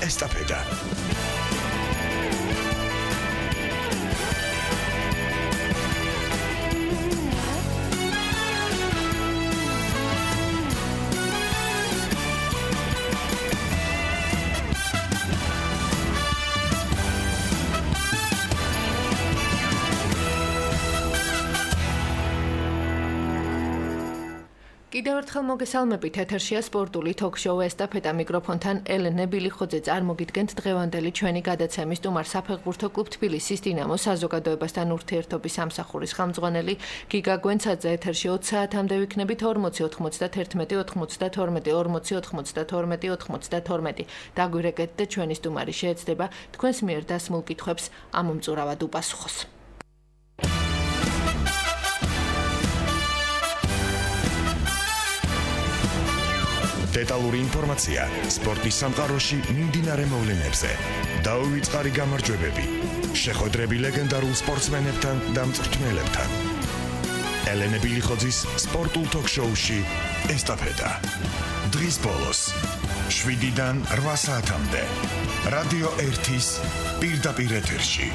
ესტაფეტა. კიდევ ერთხელ მოგესალმებით, ეთერშია სპორტული თოქ-შოუ ესტაფეტა მიკროფონთან ელენე ბილიხოძე. წარმოგიდგენთ დღევანდელი ჩვენი გადაცემის სტუმარ საფეხბურთო კლუბ თბილისის დინამოს საზოგადოებასთან ურთიერთობის სამსახურის ხელმძღვანელი გიგა გვენცაძე. ეთერში 20 საათამდე ვიქნებით 40 91 92 40 92 92. დაგვირეკეთ და ჩვენი სტუმარი შეეცდება თქვენს მიერ დასმულ კითხვებს ამომწურავად უპასუხოს. დეტალური ინფორმაცია სპორტის სამყაროში მიმდინარე მოვლენებზე. დაუვიწყარი გამარჯვებები, შეხვედრები ლეგენდარულ სპორტსმენებთან და მწვრთნელებთან. ელენე ბილიხოძის სპორტულ თოქ-შოუში ესტაფეტა. დღის ბოლოს 7-დან 8 საათამდე რადიო 1-ის პირდაპირ ეთერში.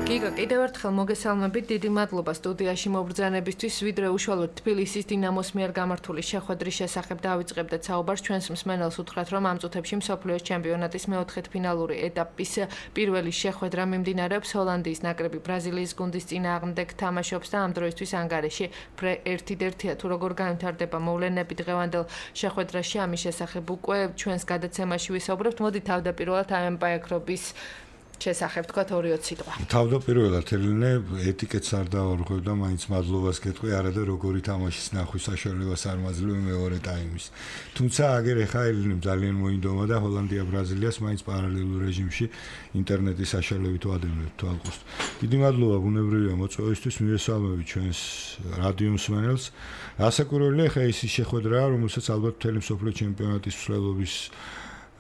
გიგა, კიდევ ერთხელ მოგესალმებით, დიდი მადლობა სტუდიაში მობრძანებისთვის. ვიდრე უშუალოდ თბილისის დინამოს მიერ გამართული შეხვედრის შესახებ დავიწყებდეთ საუბარს, ჩვენს მსმენელს უთხრათ, რომ ამ წუთებში მსოფლიოს ჩემპიონატის მეოთხედფინალური ეტაპის პირველი შეხვედრა მიმდინარეობს. ჰოლანდიის ნაკრები ბრაზილიის გუნდის წინააღმდეგ თამაშობს და ამ დროისთვის ანგარიში 1-1-ია. თუ როგორ განვითარდება მოვლენები დღევანდელ შეხვედრაში, ამის შესახებ უკვე ჩვენს გადაცემაში ვისაუბრებთ. მოდი თავდაპირველად ამ პაექრობის შესახებ თქვა 2-20 სიტყვა. თავდაპირველად ელენე ეტიკეტს არ დავარღვევ და მაინც მადლობას გეტყვი, არადა როგორი თამაშის ნახვის საშუალებას არ მაძლევ მეორე ტაიმის. თუმცა აგერ ეხა ელენემ ძალიან მოინდომა და ჰოლანდია ბრაზილიას მაინც პარალელურ რეჟიმში ინტერნეტის საშუალებით ვადევნებთ თვალყურს. დიდი მადლობა ბუნებრივია მოწვევისთვის, მივესალმებით ჩვენს რადიო მსმენელს. ასაკურველია ხა ის შეხვედრაა, რომელსაც ალბათ მთელი მსოფლიო ჩემპიონატის მსვლელობის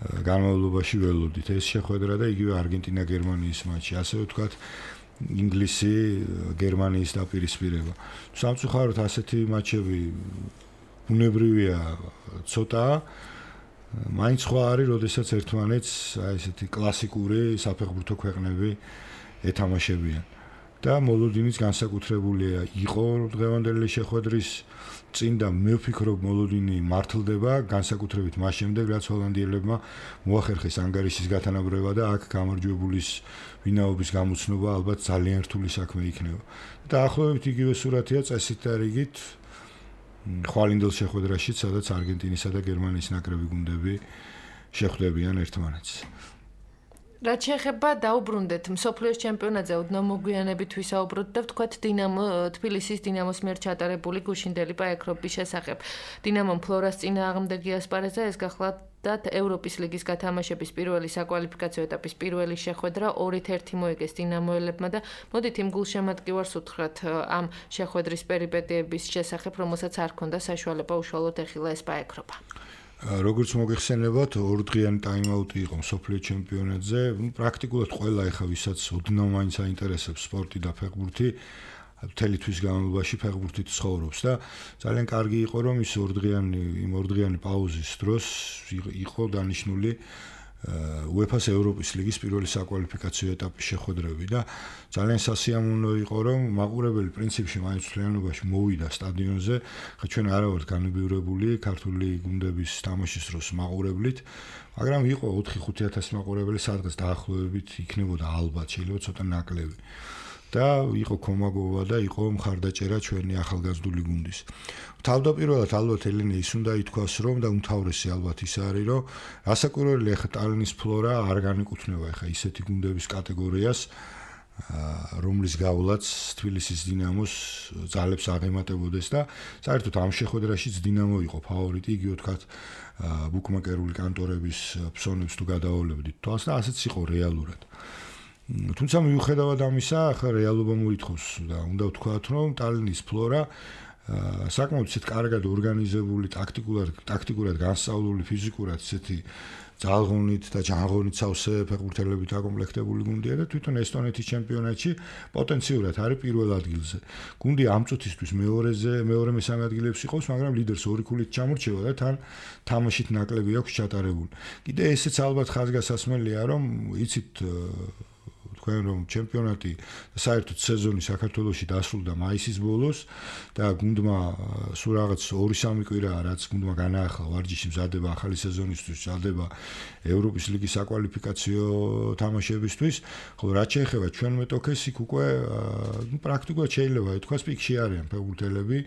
განმავლობაში ველოდით. ეს შეხვედრა და იგივე არგენტინა-გერმანიის მატჩი, ასე ვთქვათ, ინგლისი გერმანიის დაპირისპირება. სამწუხაროდ ასეთი მატჩები ბუნებრივია ცოტა, მაინც სხვა არის, როდესაც ერთმანეთს აი ესეთი კლასიკური საფეხბურთო ქვეყნები ეთამაშებიან. და მოლოდინიც განსაკუთრებულია იყო დღევანდელი შეხვედრის წინ და მე ვფიქრობ მოლოდინი მართლდება განსაკუთრებით მას შემდეგ, რაც ჰოლანდიელებმა მოახერხეს ანგარიშის გათანაბრება და აქ გამარჯვებულის ვინაობის გამოცნობა ალბათ ძალიან რთული საქმე იქნება. დაახლოებით იგივე სურათია წესით და რიგით ხვალინდელ შეხვედრაში, სადაც არგენტინისა და გერმანიის ნაკრები გუნდები შეხვდებიან ერთმანეთს. რაც შეეხება დაუბრუნდეთ მსოფლიოს ჩემპიონატზე ოდნავ მოგვიანებით ვისაუბროთ და ვთქვათ თბილისის დინამოს მიერ ჩატარებული გუშინდელი პაექრობის შესახებ. დინამომ ფლორას წინააღმდეგი ასპარეზა, ეს გახლავთ ევროპის ლიგის გათამაშების პირველი საკვალიფიკაციო ეტაპის პირველი შეხვედრა 2-1 მოიგეს დინამოელებმა და მოდით იმ გულშემატკივარს უთხრათ ამ შეხვედრის პერიპეტიების შესახებ, რომელსაც არ ჰქონდა საშუალება უშუალოდ ეხილა ეს პაექრობა. როგორც მოგეხსენებათ, ორდღიანი ტაიმაუტი იყო მსოფლიო ჩემპიონატზე. პრაქტიკულად ყველა ეხა ვისაც ოდნავ მაინც აინტერესებს სპორტი და ფეხბურთი, მთელი თვის განმავლობაში ფეხბურთით ცხოვრობს და ძალიან კარგი იყო, რომ ის ორდღიანი პაუზის დროს იყო დანიშნული UEFA-ს ევროპის ლიგის პირველი საკვალიფიკაციო ეტაპის შეხვედრები და ძალიან სასიამოვნო იყო, რომ მაყურებელი პრინციპში მაინც მთლიანობაში მოვიდა სტადიონზე. ხა ჩვენ არა ვართ განებივრებული ქართული გუნდების თამაშის დროს მაყურებლით, მაგრამ იყო 4-5 მაყურებელი სადღაც დაახლოებით იქნებოდა ალბათ, შეიძლება ცოტა ნაკლები. და იყო კომაგოვა და იყო მხარდაჭერა ჩვენი ახალგაზრდული გუნდის. თავდაპირველად ალბათ ელენე ის უნდა ითქვას, რომ და უმთავრესი ალბათ ის არის, რომ ასაკურველი ახლა ტალინის ფლორა არ განეკუთვნება ახლა ისეთი გუნდების კატეგორიას, რომლის გავლაც თბილისის დინამოს ძალებს აღემატებოდეს და საერთოდ ამ შეხვედრაშიც დინამო იყო ფავორიტი, იგივე ვთქვათ, ბუკმეკერული კანტორების ფსონებს თუ გადავოლებდით თვალს და ასეც იყო რეალურად. თუმცა მიუხედავად ამისა, ახლა რეალობა მოითხოვს და უნდა ვთქვათ, რომ ტალინის ფლორა საკმაოდ ისეთ კარგად ორგანიზებული, ტაქტიკურად განსწავლული, ფიზიკურად ისეთი ძალღონით და ჯანღონით სავსე ფეხბურთელებით აკომპლექტებული გუნდია და თვითონ ესტონეთის ჩემპიონატში პოტენციურად არის პირველ ადგილზე. გუნდი ამ წუთისთვის მეორე-მესამე ადგილებში ყავს, მაგრამ ლიდერს 2 ქულით ჩამორჩება და თან თამაშით ნაკლები აქვს ჩატარებული. კიდე ესეც ალბათ ხაზგასასმელია, რომ იცით თქვენ რომ ჩემპიონატი საერთოდ სეზონი საქართველოში დასრულდა მაისის ბოლოს და გუნდმა სულ რაღაც 2-3 კვირაა რაც გუნდმა განაახლა ვარჯიში მზადება ახალი სეზონისთვის, მზადება ევროპის ლიგის საკვალიფიკაციო თამაშებისთვის, ხოლო რაც შეეხება ჩვენ მეტოქეს იქ უკვე პრაქტიკულად შეიძლება ითქვას პიკში არიან ფეხბურთელები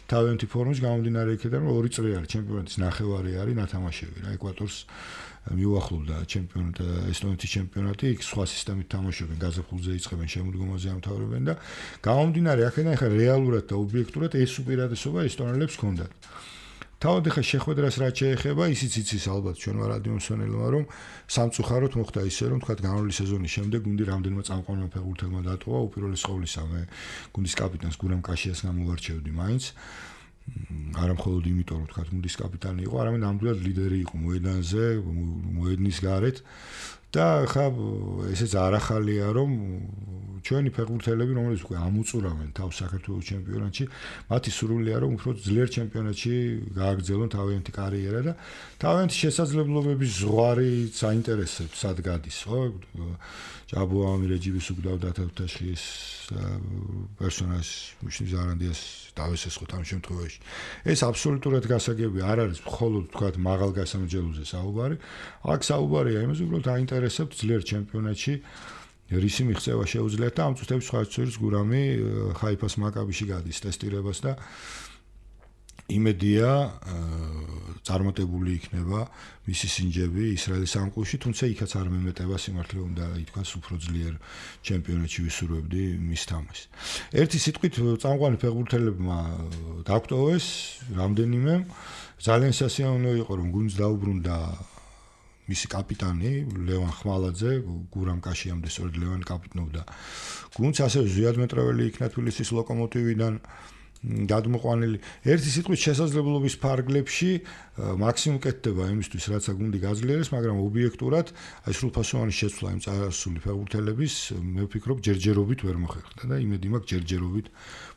თავიანთი ფორმის გამომდინარე იქიდან რომ 2 წელი არის ჩემპიონატის ნახევარი არის ნათამაშები რა ეკვატორს მიუახლოვდა ჩემპიონატი ესტონეთის ჩემპიონატი იქ სხვა სისტემით თამაშობენ გაზაფხულზე იწყებენ შემოდგომაზე ამთავრებენ და გამომდინარე აქედან ხა რეალურად და ობიექტურად ეს უპირატესობა ესტონელებს ჰქონდათ თავად ხა შეხვედრას რაც შეეხება ისიც იცის ალბათ ჩვენმა რადიომსმენელმა რომ სამწუხაროდ მოხდა ისე რომ თქვა განვლილი სეზონის შემდეგ გუნდი რამდენიმე წამყვანმა ფეხბურთელმა დატოვა უპირველეს ყოვლისა მე გუნდის კაპიტანს გურამ კაშიას გამოვარჩევდი მაინც არა მხოლოდ იმიტომ რომ თქვა გუნდის კაპიტანი იყო, არამედ ნამდვილად ლიდერი იყო მოედანზე, მოედნის გარეთ და ხა ესეც არახალია რომ ჩვენი ფეხბურთელები რომელიც უკვე ამოწურავენ თავს საქართველოს ჩემპიონატში, მათი სურვილია რომ უფრო ძლიერ ჩემპიონატში გააგრძელონ თავიანთი კარიერა და თავიანთი შესაძლებლობების ზღვარი საინტერესებს სად გადის, ხო? ჭაბუამი რეჯიბის უგდავდა თათაშის პერსონაჟს მუშნის არანდიას დავესესხოთ ამ შემთხვევაში. ეს აბსოლუტურად გასაგებია, არ არის მხოლოდ თქვა მაღალ გასამრჯელოზე საუბარი, აქ საუბარია იმაზე, უბრალოდ აინტერესებთ ძლიერ ჩემპიონატში რისი მიღწევა შეუძლიათ და ამ წუთებში სხვა წუთის გურამი ხაიფას მაკაბიში გადის ტესტირებას და იმედია წარმატებული იქნება მისი სინჯები ისრაელის სამყუროში, თუმცა იქაც არ მემეტება სიმართლე უნდა ითქვას უფრო ძლიერ ჩემპიონატში ვისურვებდი მის თამაშს. ერთი სიტყვით წამყვანი ფეხბურთელებმა დაგვტოვეს რამდენიმე ძალიან სასიამოვნო იყო რომ გუნდს დაუბრუნდა მისი კაპიტანი ლევან ხმალაძე, გურამ კაშიამდე სწორედ ლევანი კაპიტნობდა გუნდს, ასევე ზვიად მეტრეველი იქნა თბილისის ლოკომოტივიდან გადმოყვანილი. ერთი სიტყვით შესაძლებლობის ფარგლებში მაქსიმუმ კეთდება იმისთვის, რაც გუნდი გაძლიერეს, მაგრამ ობიექტურად აი სრულფასოვანი შეცვლა იმ წარსული ფეხბურთელების მე ვფიქრობ ჯერჯერობით ვერ მოხერხდა და იმედი მაქვს ჯერჯერობით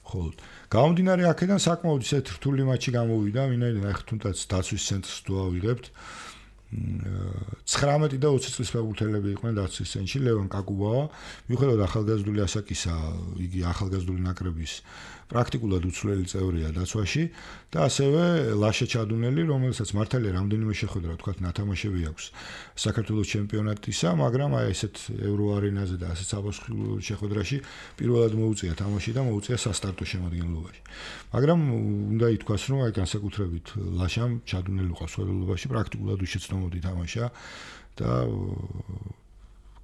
მხოლოდ. გამომდინარე აქედან საკმაოდ ისეთ რთული მატჩი გამოვიდა, ვინაიდან აი თუნდაც დაცვის ცენტრს თუ ავიღებთ 19 და 20 წლის ფეხბურთელები იყვნენ დაცვის ცენტრში, ლევან კაკუბავა, მიუხედავად ახალგაზრდული ასაკისა, იგი ახალგაზრდული ნაკრების პრაქტიკულად უცვლელი წევრია დაცვაში და ასევე ლაშა ჩადუნელი, რომელსაც მართალია რამდენიმე შეხვედრა თქვა ნათამაშები აქვს საქართველოს ჩემპიონატისა, მაგრამ აი ესეთ ევროარენაზე და ასეთ საბავშვო შეხვედრაში პირველად მოუწია თამაში და მოუწია სასტარტო შემადგენლობაში. მაგრამ უნდა ითქვას, რომ აი განსაკუთრებით ლაშამ ჩადუნელი ყავს ხელოვნებაში პრაქტიკულად უშეცდომოდ ითამაშა და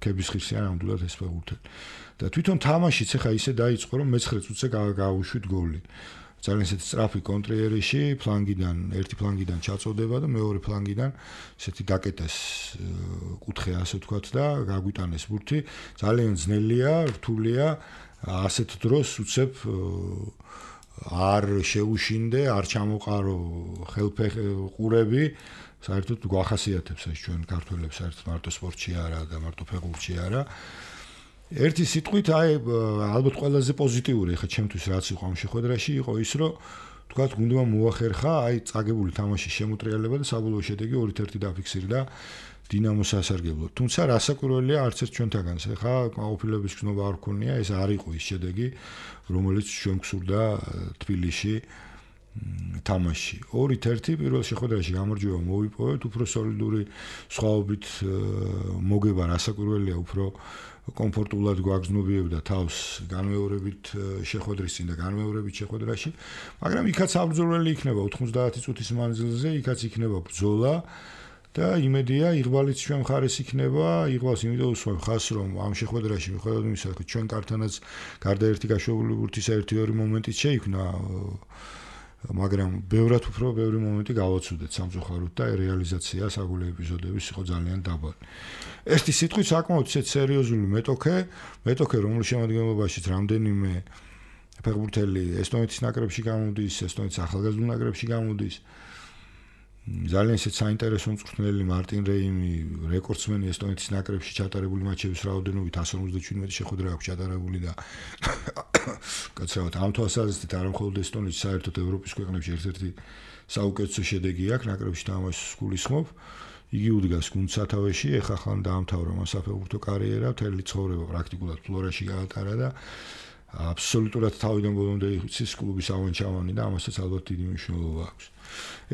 კების ხირსიან ნამდვილად ეს ფეხბურთელი. და თვითონ თამაშიც ახლა ისე დაიწყო, რომ მე-9 წუთზე გაუშვით გოლი. ძალიან ისეთი სწრაფი კონტრიერიში, ერთი ფლანგიდან ჩაწოდება და მეორე ფლანგიდან ისეთი დაკეტეს კუთხე ასე ვთქვათ და გაგვიტანეს ბურთი. ძალიან ძნელია, რთულია, ასეთ დროს უცებ არ შეუშინდე, არ ჩამოყარო ხელფეხურები, საერთოდ გვახასიათებს ეს ჩვენ ქართველებს საერთოდ მარტო სპორტში არა და მარტო ფეხბურთში არა. ერთი სიტყვით აი ალბათ ყველაზე პოზიტიური ხა ჩემთვის რაც იყო ამ შეხვედრაში იყო ის რომ თქვათ გუნდმა მოახერხა აი წაგებული თამაშის შემოტრიალება და საბოლოო შედეგი 2-1 დაფიქსირდა დინამოს სასარგებლოდ. თუმცა რასაკვირველია არც ერთ ჩვენთაგანს ხა ყოფილების გზნობა არ ქონია, ეს არ იყო ის შედეგი რომელიც ჩვენ გსურდა თბილისში თამაში. 2-1 პირველ შეხვედრაში გამარჯვება მოვიპოვეთ, უფრო სოლიდური სხვაობით მოგება რასაკვირველია, უფრო კომფორტულად გვაგზნობიებდა თავს განმეორებით შეხვედრის წინ და განმეორებით შეხვედრაში, მაგრამ იქაც საბრძოლველი იქნება 90 წუთის მანძილზე, იქაც იქნება ბრძოლა და იმედია იღბალიც ჩვენ მხარეს იქნება, იღბალს იმიტომ უსვამს ხაზს, რომ ამ შეხვედრაში მიუხედავად იმისა, რომ ჩვენ კარტანაც გარდა ერთი გაშვებული ბურთის 1-2 მომენტიც შეიქმნა, მაგრამ ბევრად უფრო ბევრი მომენტი გავაცუდეთ სამწუხაროდ და რეალიზაცია საგოლე ეპიზოდების იყო ძალიან დაბალი. ერთი სიტყვით საკმაოდ ისეთ სერიოზული მეტოქე, რომლის შემადგენლობაშიც რამდენიმე ფეხბურთელი ესტონეთის ნაკრებში გამოდის, ესტონეთის ახალგაზრდულ ნაკრებში გამოდის. ძალიან ისეთ საინტერესო მწვრთნელი მარტინ რეიმი, რეკორდსმენი ესტონეთის ნაკრებში ჩატარებული მაჩების რაოდენობით 157 შეხვედრა აქვს ჩატარებული და კაცრავად ამ თვალსაზრისით არა მხოლოდ ესტონეთში, საერთოდ ევროპის ქვეყნებში ერთ-ერთი საუკეთესო შედეგი აქვს ნაკრებში თამაშის გულისხმობ. იგი უდგას გუნდ სათავეში, ეხლა ხან დაამთავრა მას საფეხბურთო კარიერა, მთელი ცხოვრება პრაქტიკულად ფლორაში გაატარა და აბსოლუტურად თავიდან ბოლომდე იცის კლუბის ავანჩავანი და ამასაც ალბათ დიდი მნიშვნელობა აქვს.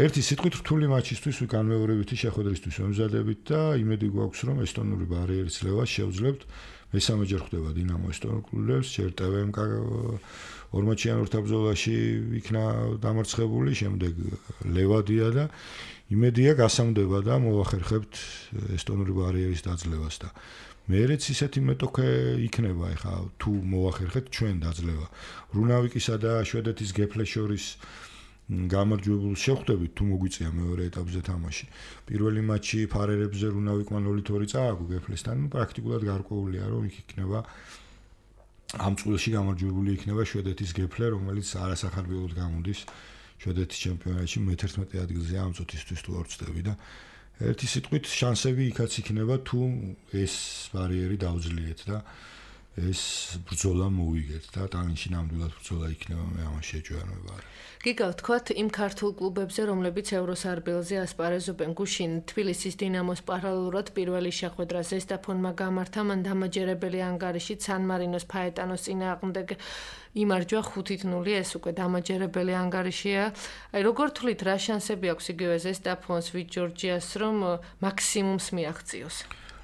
ერთი სიტყვით რთული მატჩისთვის განმეორებითი შეხვედრისთვის ვემზადებით და იმედი გვაქვს, რომ ესტონური ბარიერის ძლევას შევძლებთ. მესამეჯერ ხვდება დინამო ესტონურ კლუბებს, ჯერ TVM ორმაჩიანურთა ბრძოლაში იქნა დამარცხებული, შემდეგ ლევადია და იმედია გასამდება და მოვახერხებთ ესტონური ბარიერის დაძლევას და მეერეც ისეთი მეტოქე იქნება ეხა თუ მოვახერხეთ ჩვენ დაძლევა. რუნავიკისა და შვედეთის გეფლეს შორის გამარჯვებულს შევხვდებით თუ მოგვიწია მეორე ეტაპზე თამაში. პირველი მატჩი ფარერებზე რუნავიკმა 0-2 წააგო გეფლესთან, პრაქტიკულად გარკვეულია რომ იქ იქნება ამ წვლილში გამარჯვებული იქნება შვედეთის გეფლე, რომელიც არასახარბიელოდ გამოდის შვედეთის ჩემპიონატში მე-11 ადგილზე ამ წუთისთვის თუ არ ვწდები და ერთი სიტყვით შანსები იქაც იქნება თუ ეს ბარიერი დავძლიეთ და ეს ბრძოლა მოვიგეთ და ტალინში ნამდვილად ბრძოლა იქნება მე ამას შეჯვარება. გიგა ვთქვათ იმ ქართულ კლუბებზე, რომლებიც ევროსარბელზე ასპარეზობენ, გუშინ თბილისის დინამოს პარალელურად პირველი შეხვედრა ზესტაფონმა გამართა, მან დამაჯერებელი ანგარიშით სან მარინოს ფაეტანოს წინააღმდეგ იმარჯვა 5-0, ეს უკვე დამაჯერებელი ანგარიშია. აი როგორ თვლით, რა შანსები აქვს იგივე ზესტაფონს, ვით ჯორჯიას, რომ მაქსიმუმს მიაღწიოს?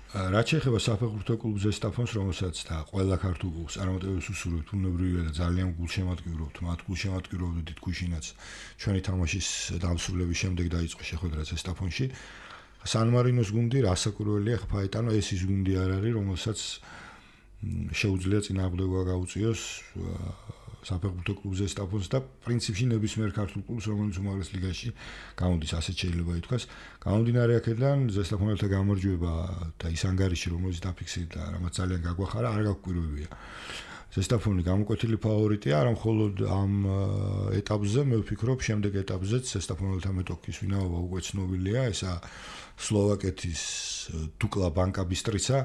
რაც შეეხება საფეხბურთო კლუბ ზესტაფონს, რომელსაც და ყველა ქართულ კლუბს წარმატებებს უსურვებთ, უნებრივია და ძალიან გულშემატკივრობთ, მათ გულშემატკივრობდით გუშინაც ჩვენი თამაშის დამსრულების შემდეგ დაიწყო შეხვედრა ზესტაფონში. სან მარინოს გუნდი რასაკურველია ფაეტანო, ეს ის გუნდი არ არის, რომელსაც შეუძლია წინააღმდეგობა გაუწიოს საფეხბურთო კლუბ ზესტაფონს და პრინციპში ნებისმიერ ქართულ კლუბს, რომელიც უმაღლეს ლიგაში გამოდის, ასეთ შეიძლება ითქვას. გამომდინარე აქედან ზესტაფონელთა გამარჯვება და ის ანგარიში, რომელიც დაფიქსირდა, რამაც ძალიან გაგვახარა, არ გაგვკვირვებია. ზესტაფონი გამოკვეთილი ფავორიტია, არა მხოლოდ ამ ეტაპზე, მე ვფიქრობ, შემდეგ ეტაპზეც ზესტაფონელთა მეტოქის ვინაობა უკვე ცნობილია, ესა სლოვაკეთის დუკლა ბანკა ბისტრიცა.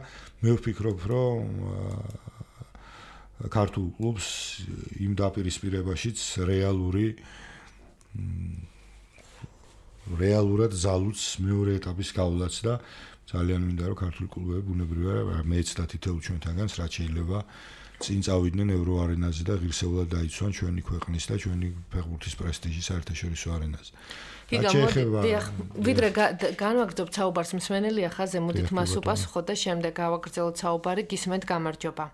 მე ვფიქრობ, რომ ქართულ კლუბს იმ დაპირისპირებაშიც რეალურად ზალუც მეორე ეტაპის გავლაც და ძალიან მინდა რომ ქართული კლუბები ბუნებრივია მეც და თითოეულ ჩვენთანგანს რაც შეიძლება წინ წავიდნენ ევროარენაზე და ღირსეულად დაიცვან ჩვენი ქვეყნის და ჩვენი ფეხბურთის პრესტიჟი საერთაშორისო არენაზე. ვიდრე განვაგრძობთ საუბარს მსმენელია ხაზე, მოდით მას უპასუხოთ და შემდეგ გავაგრძელოთ საუბარი, გისმენთ გამარჯობა.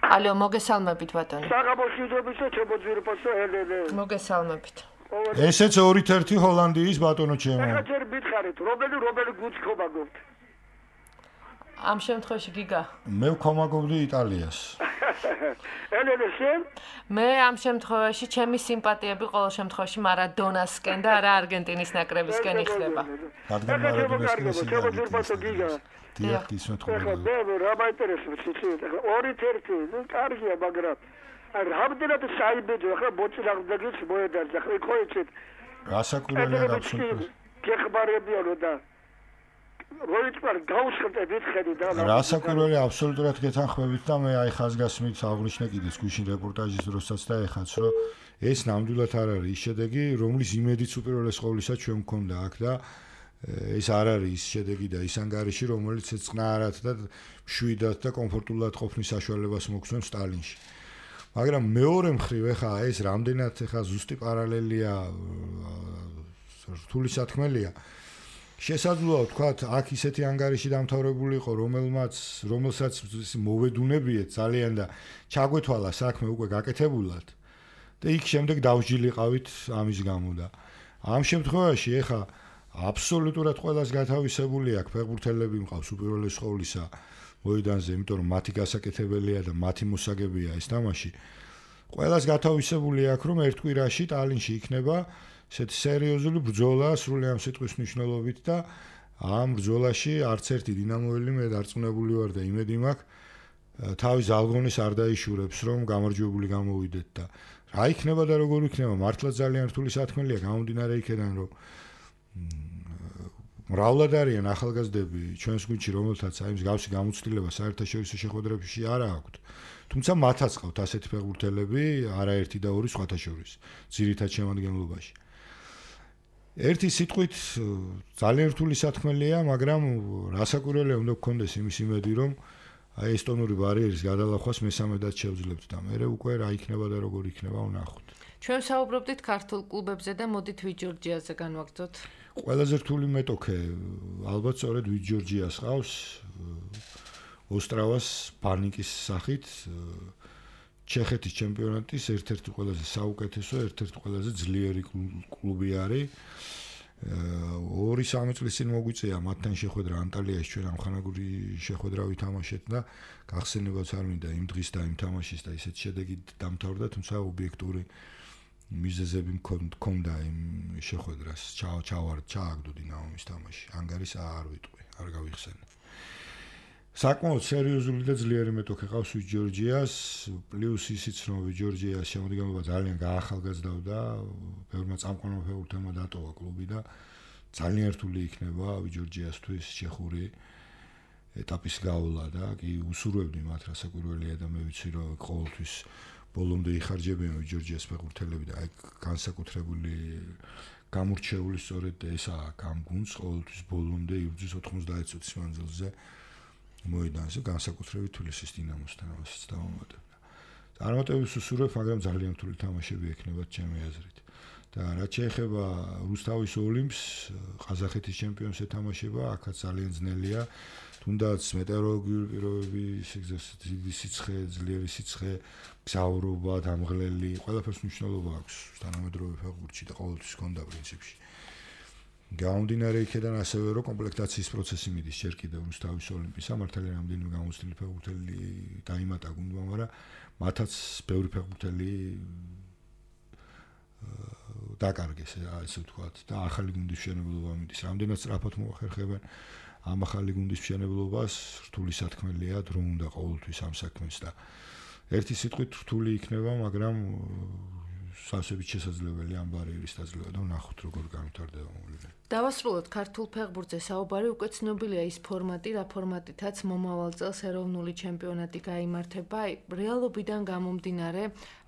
ალო, მოგესალმებით ბატონო. საღამოშიდობის და ჩემოძვირფასო ელელე. მოგესალმებით. ესეც 2-1 ჰოლანდიის ბატონო ჩემო. ახლა ჯერ მითხარით, რომელი გუნდს ხომაგობთ? ამ შემთხვევაში გიგა. მე ვქომაგობდი იტალიას. ელელე შენ? მე ამ შემთხვევაში ჩემი სიმპათიები ყოველ შემთხვევაში მარადონასკენ და არა არგენტინის ნაკრებისკენ იხდება. რადგან მარადონასკენ ჩემოძვირფასო გიგა. დიახ, ისმეთ ხოლმე. ახლა მე რა მაინტერესებს ციცი, ახლა 2-1, ნუ კარგია, მაგრამ რამდენად საიბედო, ახლა მოწინააღმდეგეც მოედარდა, ახლა ხო იცით? რასაკურველია აბსოლუტურად. გეხმარებიანო და როიტყარ გაუსხლტებით ხედი და რასაკურველია აბსოლუტურად გეთანხმებით და მე აი ხაზგასმით აღვნიშნე კიდეც გუშინ რეპორტაჟის დროსაც და ეხაც რომ ეს ნამდვილად არ არის ის შედეგი, რომლის იმედიც უპირველეს ყოვლისა ჩვენ მქონდა აქ და ეს არ არის ის შედეგი და ის ანგარიში, რომელიც წყნარად და მშვიდად და კომფორტულად ყოფნის საშუალებას მოგცემს სტალინში. მაგრამ მეორე მხრივ ეხა ეს რამდენად ეხა ზუსტი პარალელია რთული სათქმელია. შესაძლოა ვთქვათ, აქ ისეთი ანგარიში დამთავრებული იყო, რომელსაც მოვედუნებიეთ ძალიან და ჩაგვეთვალა საქმე უკვე გაკეთებულად და იქ შემდეგ დავსჯილიყავით ამის გამო და ამ შემთხვევაში ეხა აბსოლუტურად ყველას გათავისებული აქვს ფეხბურთელები მყავს უპირველეს ყოვლისა მოედანზე, იმიტომ რომ მათი გასაკეთებელია და მათი მოსაგებია ეს თამაში. ყველას გათავისებული აქვს, რომ ერთ კვირაში ტალინში იქნება ესეთი სერიოზული ბრძოლა სრული ამ სიტყვის მნიშვნელობით და ამ ბრძოლაში არც ერთი დინამოელი მე დარწმუნებული ვარ და იმედი მაქვს თავის ალგონის არ დაიშურებს, რომ გამარჯვებული გამოვიდეთ და რა იქნება და როგორ იქნება, მართლა ძალიან რთული სათქმელია გამომდინარე იქიდან, რომ მრავლად არიან ახალგაზრდები ჩვენს გუნდში, რომელთაც აი მსგავსი გამოცდილება საერთაშორისო შეხვედრებში არ აქვთ. თუმცა მათაც ყავთ ასეთი ფეხბურთელები, არაერთი და ორი სხვათა შორის, ძირითად შემადგენლობაში. ერთი სიტყვით ძალიან რთული სათქმელია, მაგრამ რასაკვირველია უნდა გქონდეს იმის იმედი, რომ აი ესტონური ბარიერის გადალახვას მესამედად შევძლებთ და მე უკვე რა იქნება და როგორ იქნება ვნახოთ. ჩვენ საუბრობდით ქართულ კლუბებზე და მოდით ვიჯორჯიაზე განვაგრძოთ. ყველაზე რთული მეტოქე ალბათ სწორედ ვიჯორჯიას ყავს. ოსტრავას ბანიკის სახით ჩეხეთის ჩემპიონატის ერთ-ერთი ყველაზე საუკეთესო, ერთ-ერთი ყველაზე ძლიერი კლუბი არის. 2-3 წლის წინ მოგვიწეა მათთან შეხვედრა ანტალიაში, ჩვენ ამხანაგური შეხვედრა ვითამაშეთ და გახსენებაც არ მინდა იმ დღის და იმ თამაშის და ისეთ შედეგით დამთავრდა, თუმცა ობიექტური მიზეზები მქონდა იმ შეხვედრას. ჩააგდო დინამოს თამაში. ანგარის არ ვიტყვი, არ გავიხსენე. საკმაოდ სერიოზული და ძლიერი მეტოქე ყავს ვიჯორჯიას, პლუს ისიც რომ ვიჯორჯიას შემოდგენილობა ძალიან გაახალგაზრდავდა, ბევრმა წამყვანმა ფეხბურთელმა დატოვა კლუბი და ძალიან რთული იქნება ვიჯორჯიასთვის ჩეხური ეტაპის გავლა და კი უსურვებდი მათ რასაკვირველია და მე ვიცი რომ ყოველთვის ბოლომდე იხარჯებიან ვიჯორჯიას ფეხბურთელები და აი განსაკუთრებული გამორჩეული სწორედ ესაა ამ გუნდს ყოველთვის ბოლომდე იბრძვის 90 წუთის მანძილზე მოედანზე განსაკუთრებით თბილისის დინამოსთან ამასაც დავამატებდა. წარმატებებს უსურვებ, მაგრამ ძალიან რთული თამაშები ექნებათ ჩემი აზრით. და რაც შეეხება რუსთავის ოლიმპს, ყაზახეთის ჩემპიონს ეთამაშება, აქაც ძალიან ძნელია. თუნდაც მეტეოროლოგიური პირობები, დიდი სიცხე, ძლიერი სიცხე, გზავრობა, დამღლელი, ყველაფერს მნიშვნელობა აქვს თანამედროვე ფეხბურთში და ყოველთვის ჰქონდა პრინციპში. გამომდინარე იქიდან ასევე რომ კომპლექტაციის პროცესი მიდის ჯერ კიდევ რუსთავის ოლიმპის მართალია რამდენიმე გამოცდილი ფეხბურთელი დაიმატა გუნდმა, მაგრამ მათაც ბევრი ფეხბურთელი დაკარგეს, ასე ვთქვათ, და ახალი გუნდის მშენებლობა მიდის. რამდენად სწრაფად მოახერხებენ ამ ახალი გუნდის მშენებლობას, რთული სათქმელია, დრო უნდა ყოველთვის ამ საქმეს და ერთი სიტყვით რთული იქნება, მაგრამ სასწრაფოდ შესაძლებელი ამ ბარიერის დაძლევა და ვნახოთ როგორ განვითარდება მოვლენები. დავასრულოთ ქართულ ფეხბურთზე საუბარი, უკვე ცნობილია ის ფორმატი, რა ფორმატითაც მომავალ წელს ეროვნული ჩემპიონატი გაიმართება. რეალობიდან გამომდინარე,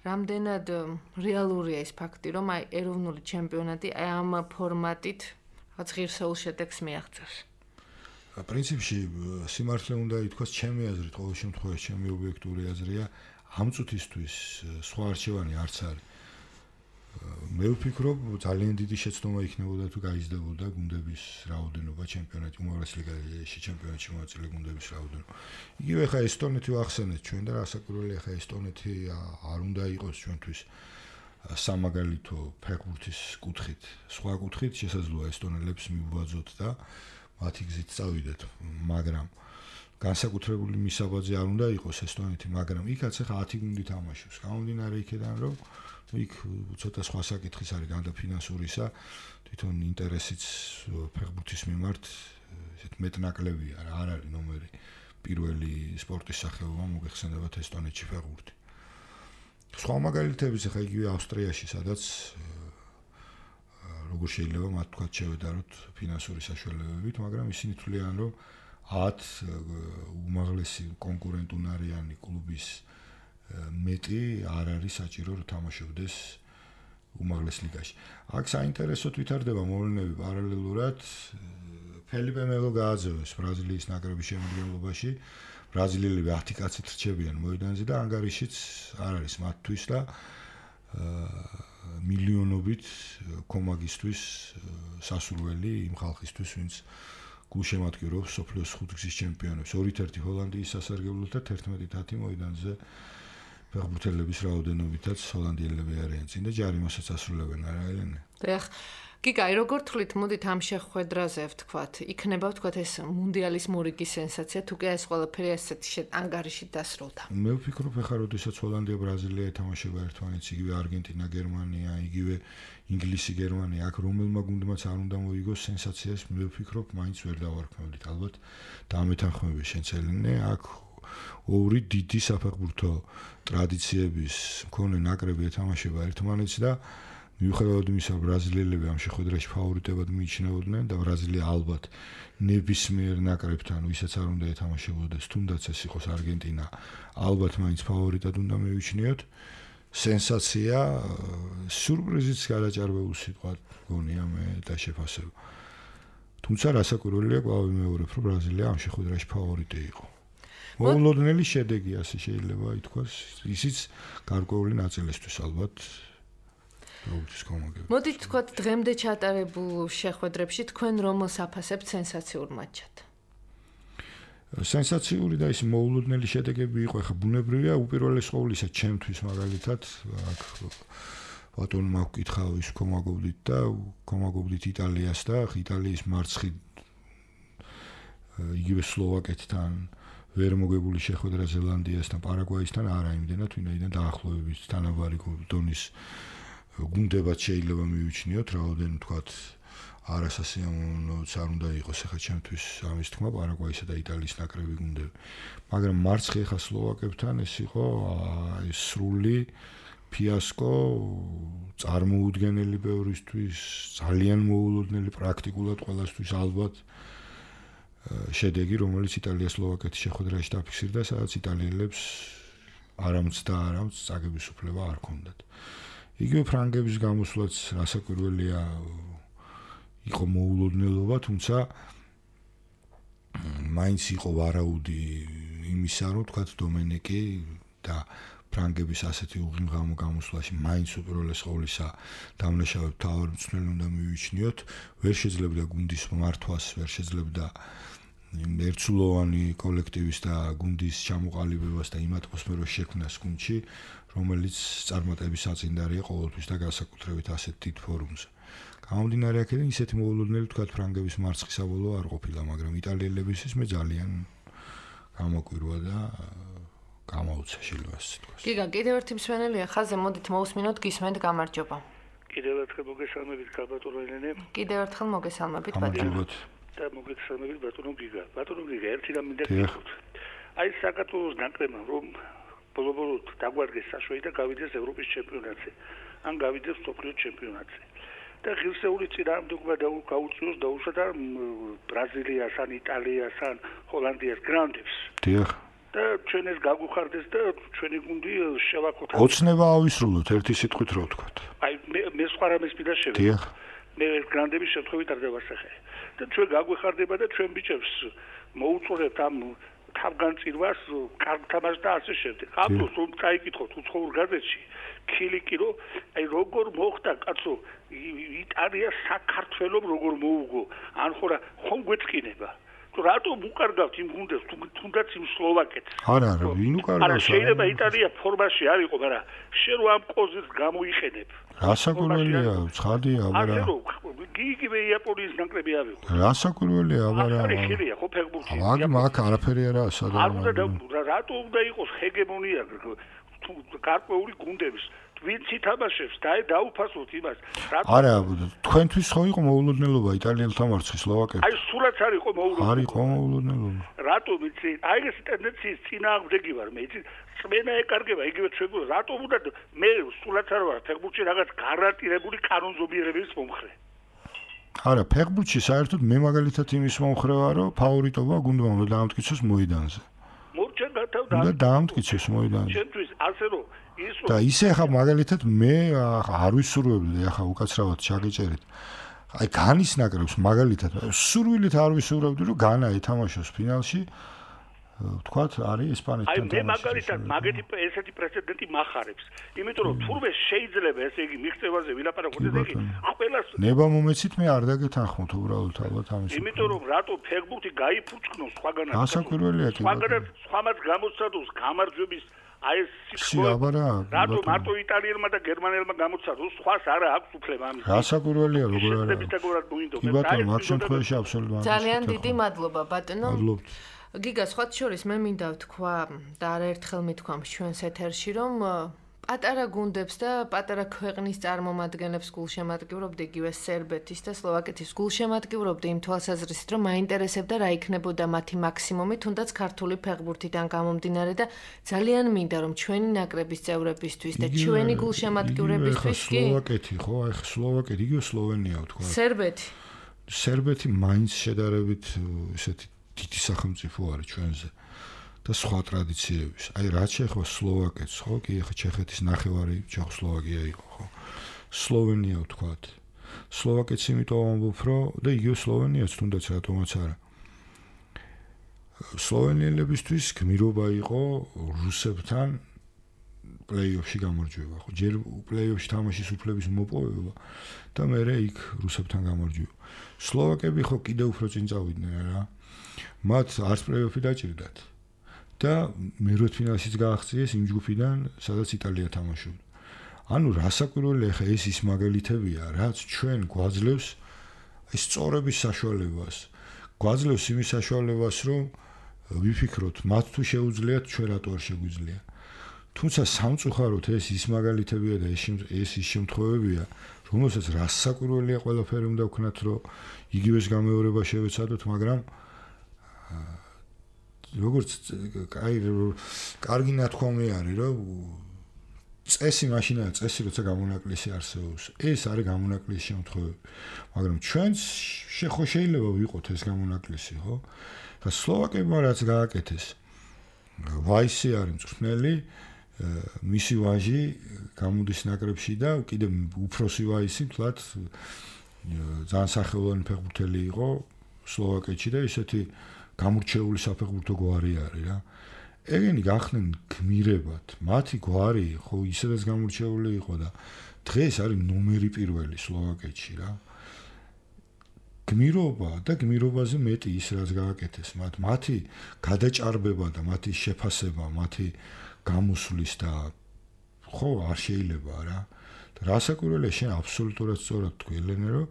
რამდენად რეალურია ის ფაქტი, რომ აი ეროვნული ჩემპიონატი ამ ფორმატით რაღაც ღირსეულ შედეგს მიაღწევს. პრინციპში სიმართლე უნდა ითქვას, ჩემი აზრით, ყოველ შემთხვევაში ჩემი ობიექტური აზრია, ამ წუთისთვის სხვა არჩევანი არც არის. მე ვფიქრობ, ძალიან დიდი შეცდომა იქნებოდა თუ გაიზრდებოდა გუნდების რაოდენობა ჩემპიონატი, უმაღლეს ლიგაში ჩემპიონატში მონაწილე გუნდების რაოდენობა. იგივე ხა ესტონეთი ვახსენეთ ჩვენ და რასაკვირველია ხა ესტონეთი არ უნდა იყოს ჩვენთვის სამაგალითო ფეხბურთის კუთხით. სხვა კუთხით შესაძლოა ესტონელებს მივუბაძოთ და მათი გზით წავიდეთ, მაგრამ განსაკუთრებული მისაბაძე არ უნდა იყოს ესტონეთი, მაგრამ იქაც ხა 10 გუნდი თამაშობს. გამომდინარე იქიდან რომ იქ ცოტა სხვა საკითხის არის განდა ფინანსურისა, თვითონ ინტერესიც ფეხბურთის მიმართ ესეთ მეტნაკლებია, არ არის ნომერი პირველი სპორტის სახეობა მოგეხსენებათ ესტონეთში ფეხბურთი. სხვა მაგალითებიც ხა იგივე ავსტრიაში, სადაც როგორ შეიძლება მათ თქვა შევედაროთ ფინანსური საშუალებებით, მაგრამ ისინი თვლიან, რომ 10 უმაღლესი კონკურენტუნარიანი კლუბის მეტი არ არის საჭირო რომ თამაშობდეს უმაღლეს ლიგაში. აქ საინტერესოდ ვითარდება მოვლენები პარალელურად. ფელიპე მელო გააძევეს ბრაზილიის ნაკრების შემადგენლობაში. ბრაზილიელები 10 კაცით რჩებიან მოედანზე და ანგარიშიც არ არის მათთვის და მილიონობით კომაგისთვის სასურველი იმ ხალხისთვის, ვინც გულშემატკივრობს სოფლიოს 5 გზის ჩემპიონებს. 2-1 ჰოლანდიის სასარგებლოდ და 11-10 მოედანზე ფეხბურთელების რაოდენობითაც ჰოლანდიელები არიან წინ და ჯარიმასაც ასრულებენ, არა ელენე? დიახ. გიგაი, როგორ თვლით, მოდით ამ შეხვედრაზე ვთქვათ, იქნება ვთქვათ ეს მუნდიალის მორიგის სენსაცია, თუ კი ეს ყველაფერი ასეთი ანგარიშით დასრულდა. მე ვფიქრობ, ხა როდესაც ჰოლანდია, ბრაზილია ეთამაშება ერთმანეთს, იგივე არგენტინა, გერმანია, იგივე ინგლისი, გერმანია, აქ რომელმა გუნდმაც არ უნდა მოიგოს სენსაციას, მე ვფიქრობ, მაინც ვერ დავარქმევდით, ალბათ დამეთანხმები შენც ელენე, აქ ორი დიდი საფეხბურთო ტრადიციების მქონე ნაკრები ეთამაშება ერთმანეთს და მიუხედავად იმისა, ბრაზილიელები ამ შეხვედრაში ფავორიტებად მიიჩნეოდნენ და ბრაზილია ალბათ ნებისმიერ ნაკრებთან, ვისაც არ უნდა ეთამაშებოდეს, თუნდაც ეს იყოს არგენტინა, ალბათ მაინც ფავორიტად უნდა მივიჩნიოთ. სენსაცია, სიურპრიზიც გადაჭარბებული სიტყვა გონია მე და შეფასება. თუმცა რასაკვირველია, კვლავ ვიმეორებ, რომ ბრაზილია ამ შეხვედრაში ფავორიტი იყო. მოულოდნელი შედეგი ასე შეიძლება ითქვას, ისიც გარკვეული ნაწილისთვის ალბათ. მოდით თქვათ, დღემდე ჩატარებულ შეხვედრებში თქვენ რომელს აფასებთ სენსაციურ მატჩად? სენსაციური და ის მოულოდნელი შედეგები იყო, ხა ბუნებრივია, უპირველეს ყოვლისა ჩემთვის მაგალითად, აქ ბატონმა გკითხა ის კომაგობდით იტალიას და იტალიის მარცხი იგივე სლოვაკეთთან ვერ მოგებული შეხვედრა ზელანდიასთან, პარაგვაისთან არა იმდენად, ვინაიდან დაახლოებით თანაბარი დონის გუნდებად შეიძლება მივიჩნიოთ, რაოდენ თქვათ არასასიამოვნოც არ უნდა იყოს ახლა ჩემთვის ამის თქმა პარაგვაისა და იტალიის ნაკრები გუნდები. მაგრამ მარცხი ახლა სლოვაკებთან ეს იყო სრული ფიასკო, წარმოუდგენელი ბევრისთვის, ძალიან მოულოდნელი პრაქტიკულად ყველასთვის ალბათ შედეგი, რომელიც იტალია-სლოვაკეთის შეხვედრაში დაფიქსირდა, სადაც იტალიელებს არამც წაგების უფლება არ ჰქონდათ. იგივე ფრანგების გამოსვლაც რასაკვირველია იყო მოულოდნელობა, თუმცა მაინც იყო ვარაუდი იმისა, რომ თქვათ დომენიკი და ფრანგების ასეთი უღრმაღამო გამოსვლაში მაინც უპირველეს ყოვლისა დამნაშავედ თავად მწვრთნელი უნდა მივიჩნიოთ, ვერ შეძლებდა გუნდის მართვას, ვერ შეძლებდა ერთსულოვანი კოლექტივის და გუნდის ჩამოყალიბებას და იმ ატმოსფეროს შექმნას გუნდში, რომელიც წარმატების საწინდარია ყოველთვის და განსაკუთრებით ასეთ დიდ ფორუმზე. გამომდინარე აქედან ისეთი მოულოდნელი თქვათ ფრანგების მარცხი საბოლოო არ ყოფილა, მაგრამ იტალიელებისთვის მე ძალიან გამოკვირვა და გამაუცა შეიძლება ასე თქვას. გიგა, კიდევ ერთი მსმენელია ხაზე, მოდით მოусმინოთ, გისმენთ, გამარჯობა. კიდევ ერთხელ მოგესალმებით ბატონო ელენე. კიდევ ერთხელ მოგესალმებით ბატონო. და მოგესალმებით ბატონო გიგა. ბატონო გიგა, ერთი რამ მინდა გითხრათ. აი საქართველოს ნაკრებმა რომ ბოლო-ბოლოდ დაგვარგეს საშველი და გავიდეს ევროპის ჩემპიონატზე. ან გავიდეს მსოფლიო ჩემპიონატზე. და ღირსეული წინააღმდეგობა გაუწიოს დაუშვათ ბრაზილიას, ან იტალიას, ან ჰოლანდიას გრანდებს. დიახ. და ჩვენ ეს გაგვიხარდეს და ჩვენი გუნდი შევაკოთ. ოცნება ავისრულოთ ერთი სიტყვით რო ვთქვათ. აი მე სხვა რამეს მინდა შევიდე. დიახ. მე ეს გრანდების შემთხვევით არ დავასახე. და ჩვენ გაგვიხარდება და ჩვენ ბიჭებს მოუწურებთ ამ თავგანწირვას, კარგ თამაშს და ასე შემდეგ. აბსოლუტურად რომ წაიკითხოთ უცხოურ გაზეთში, ქილიკი რომ აი როგორ მოხდა კაცო იტალია საქართველოს როგორ მოუგო, ან ხომ გვეწყინება. რატომ უკარგავთ იმ გუნდებს თუნდაც იმ სლოვაკეთს? არა, ვინ უკარგავს? არა, შეიძლება იტალია ფორმაში არ იყო, მაგრამ შენ რო ამ პოზიციას გამოიყენებ. რასაკვირველია, ცხადია, აბარა. ასე რომ იგივე იაპონიის ნაკრები ავიღო. რასაკვირველია, აბარა. ახალი ხილია ხო ფეხბურთი? მაგ არაფერი არა სადაა. არ უნდა რატო უნდა იყოს ჰეგემონია გარკვეული გუნდების? ვინც ითამაშებს და დაუფასოთ იმას. არა, თქვენთვის ხო იყო მოულოდნელობა იტალიელთა მარცხი სლოვაკეთს? აი სულაც არ იყო მოულოდნელობა. არ იყო მოულოდნელობა. რატომ იცი? აი ეს ტენდენციის წინააღმდეგი ვარ მე. იცი, წმენა ეკარგება იგივე ჩვენ რატომ უნდა მე სულაც არ ვარ ფეხბურთში რაღაც გარანტირებული კანონზომიერების მომხრე. არა, ფეხბურთში საერთოდ მე მაგალითად იმის მომხრე ვარ, რომ ფავორიტობა გუნდმა უნდა დაამტკიცოს მოედანზე. მორჩენ გათავდა. უნდა დაამტკიცოს მოედანზე. ჩვენთვის ასე რომ და ისე ახლა მაგალითად მე არ ვისურვებდი ახლა უკაცრავად ჩაგეჭერეთ. აი განის ნაკრებს მაგალითად სურვილით არ ვისურვებდი რომ განა ეთამაშოს ფინალში. ვთქვათ, არის ესპანეთთან თამაში. აი მე მაგალითად მაგეთი ესეთი პრეცედენტი მახარებს. იმიტომ რომ თურმე შეიძლება ესე იგი მიღწევაზე ვილაპარაკოთ ესე იგი ყველას ნება მომეცით მე არ დაგეთანხმოთ უბრალოდ ალბათ ამის. იმიტომ რომ რატო ფეხბურთი გაიფუჭკნოს სხვაგანაც. გასაკვირველია კი. სხვამაც გამოცადოს გამარჯვების აი ეს რატო მარტო იტალიელმა და გერმანელმა გამოცადოს, სხვას არა აქვს უფლება ამის. გასაკვირველია როგორ არა. კი ბატონო, მაგ შემთხვევაში აბსოლუტურად. ძალიან დიდი მადლობა ბატონო. გიგა, სხვათა შორის მე მინდა ვთქვა და არაერთხელ მithქვამს ჩვენს ეთერში, რომ პატარა გუნდებს და პატარა ქვეყნის წარმომადგენლებს გულშემატკივრობდი იგივე სერბეთის და სლოვაკეთის გულშემატკივრობდი იმ თვალსაზრისით, რომ მაინტერესებდა რა იქნებოდა მათი მაქსიმუმი, თუნდაც ქართული ფეხბურთიდან გამომდინარე და ძალიან მინდა რომ ჩვენი ნაკრების წევრებისთვის და ჩვენი გულშემატკივრებისთვის კი სლოვაკეთი ხო, აი სლოვაკეთი, იგივე სლოვენია ვთქვა. სერბეთი მაინც შედარებით ესეთი დიდი სახელმწიფო არის ჩვენზე. და სხვა ტრადიციების. აი რაც შეეხება სლოვაკეთს, ხო? კი, ახლა ჩეხეთის ნახევარი ჩეხოსლოვაკია იყო, ხო? სლოვენია ვთქვათ. სლოვაკეთს იმიტომ ამბობ, რომ და იგივე სლოვენიაც თუნდაც რატომაც არა. სლოვენიელებისთვის გმირობა იყო რუსებთან პლეი-ოფში გამარჯვება, ხო? ჯერ პლეი-ოფში თამაშის უფლების მოპოვება და მერე იქ რუსებთან გამარჯვება. სლოვაკები ხო კიდევ უფრო წინ წავიდნენ რა. მათ არც პლეი-ოფი დაჭირდათ. და მერვედფინალშიც გააღწიეს იმ ჯგუფიდან, სადაც იტალია თამაშობდა. ანუ რასაკვირველია ხა ეს ის მაგალითებია, რაც ჩვენ გვაძლევს ეს სწორების საშუალებას. გვაძლევს იმის საშუალებას, რომ ვიფიქროთ, მათ თუ შეუძლიათ, ჩვენ რატო არ შეგვიძლია. თუმცა სამწუხაროდ ეს ის მაგალითებია და ეს ის შემთხვევებია, რომელსაც რასაკვირველია ყველაფერი უნდა ვქნათ, რომ იგივეს გამეორება შევეცადოთ, მაგრამ როგორც კარგი ნათქვამი არის, რომ წესი მაშინაა წესი, როცა გამონაკლისი არსებობს. ეს არის გამონაკლისი შემთხვევები. მაგრამ ჩვენც შეიძლება ვიყოთ ეს გამონაკლისი, ხო? და სლოვაკებმა რაც გააკეთეს. ვაისი არის მწვრთნელი, მისი ვაჟი გამოდის ნაკრებში და კიდევ უფროსი ვაისი თლათ ძალიან სახელოვანი ფეხბურთელი იყო სლოვაკეთში და ისეთი გამორჩეული საფეხბურთო გვარი არის რა. ეგენი გახდნენ გმირებად. მათი გვარი ხო ისედაც გამორჩეული იყო და დღეს არის ნომერი პირველი სლოვაკეთში რა. გმირობა და გმირობაზე მეტი ის რაც გააკეთეს მათ. მათი გადაჭარბება და მათი შეფასება, მათი გამოსვლის და ხო არ შეიძლება რა. და რასაკვირველია შენ აბსოლუტურად სწორად თქვი ელენე რომ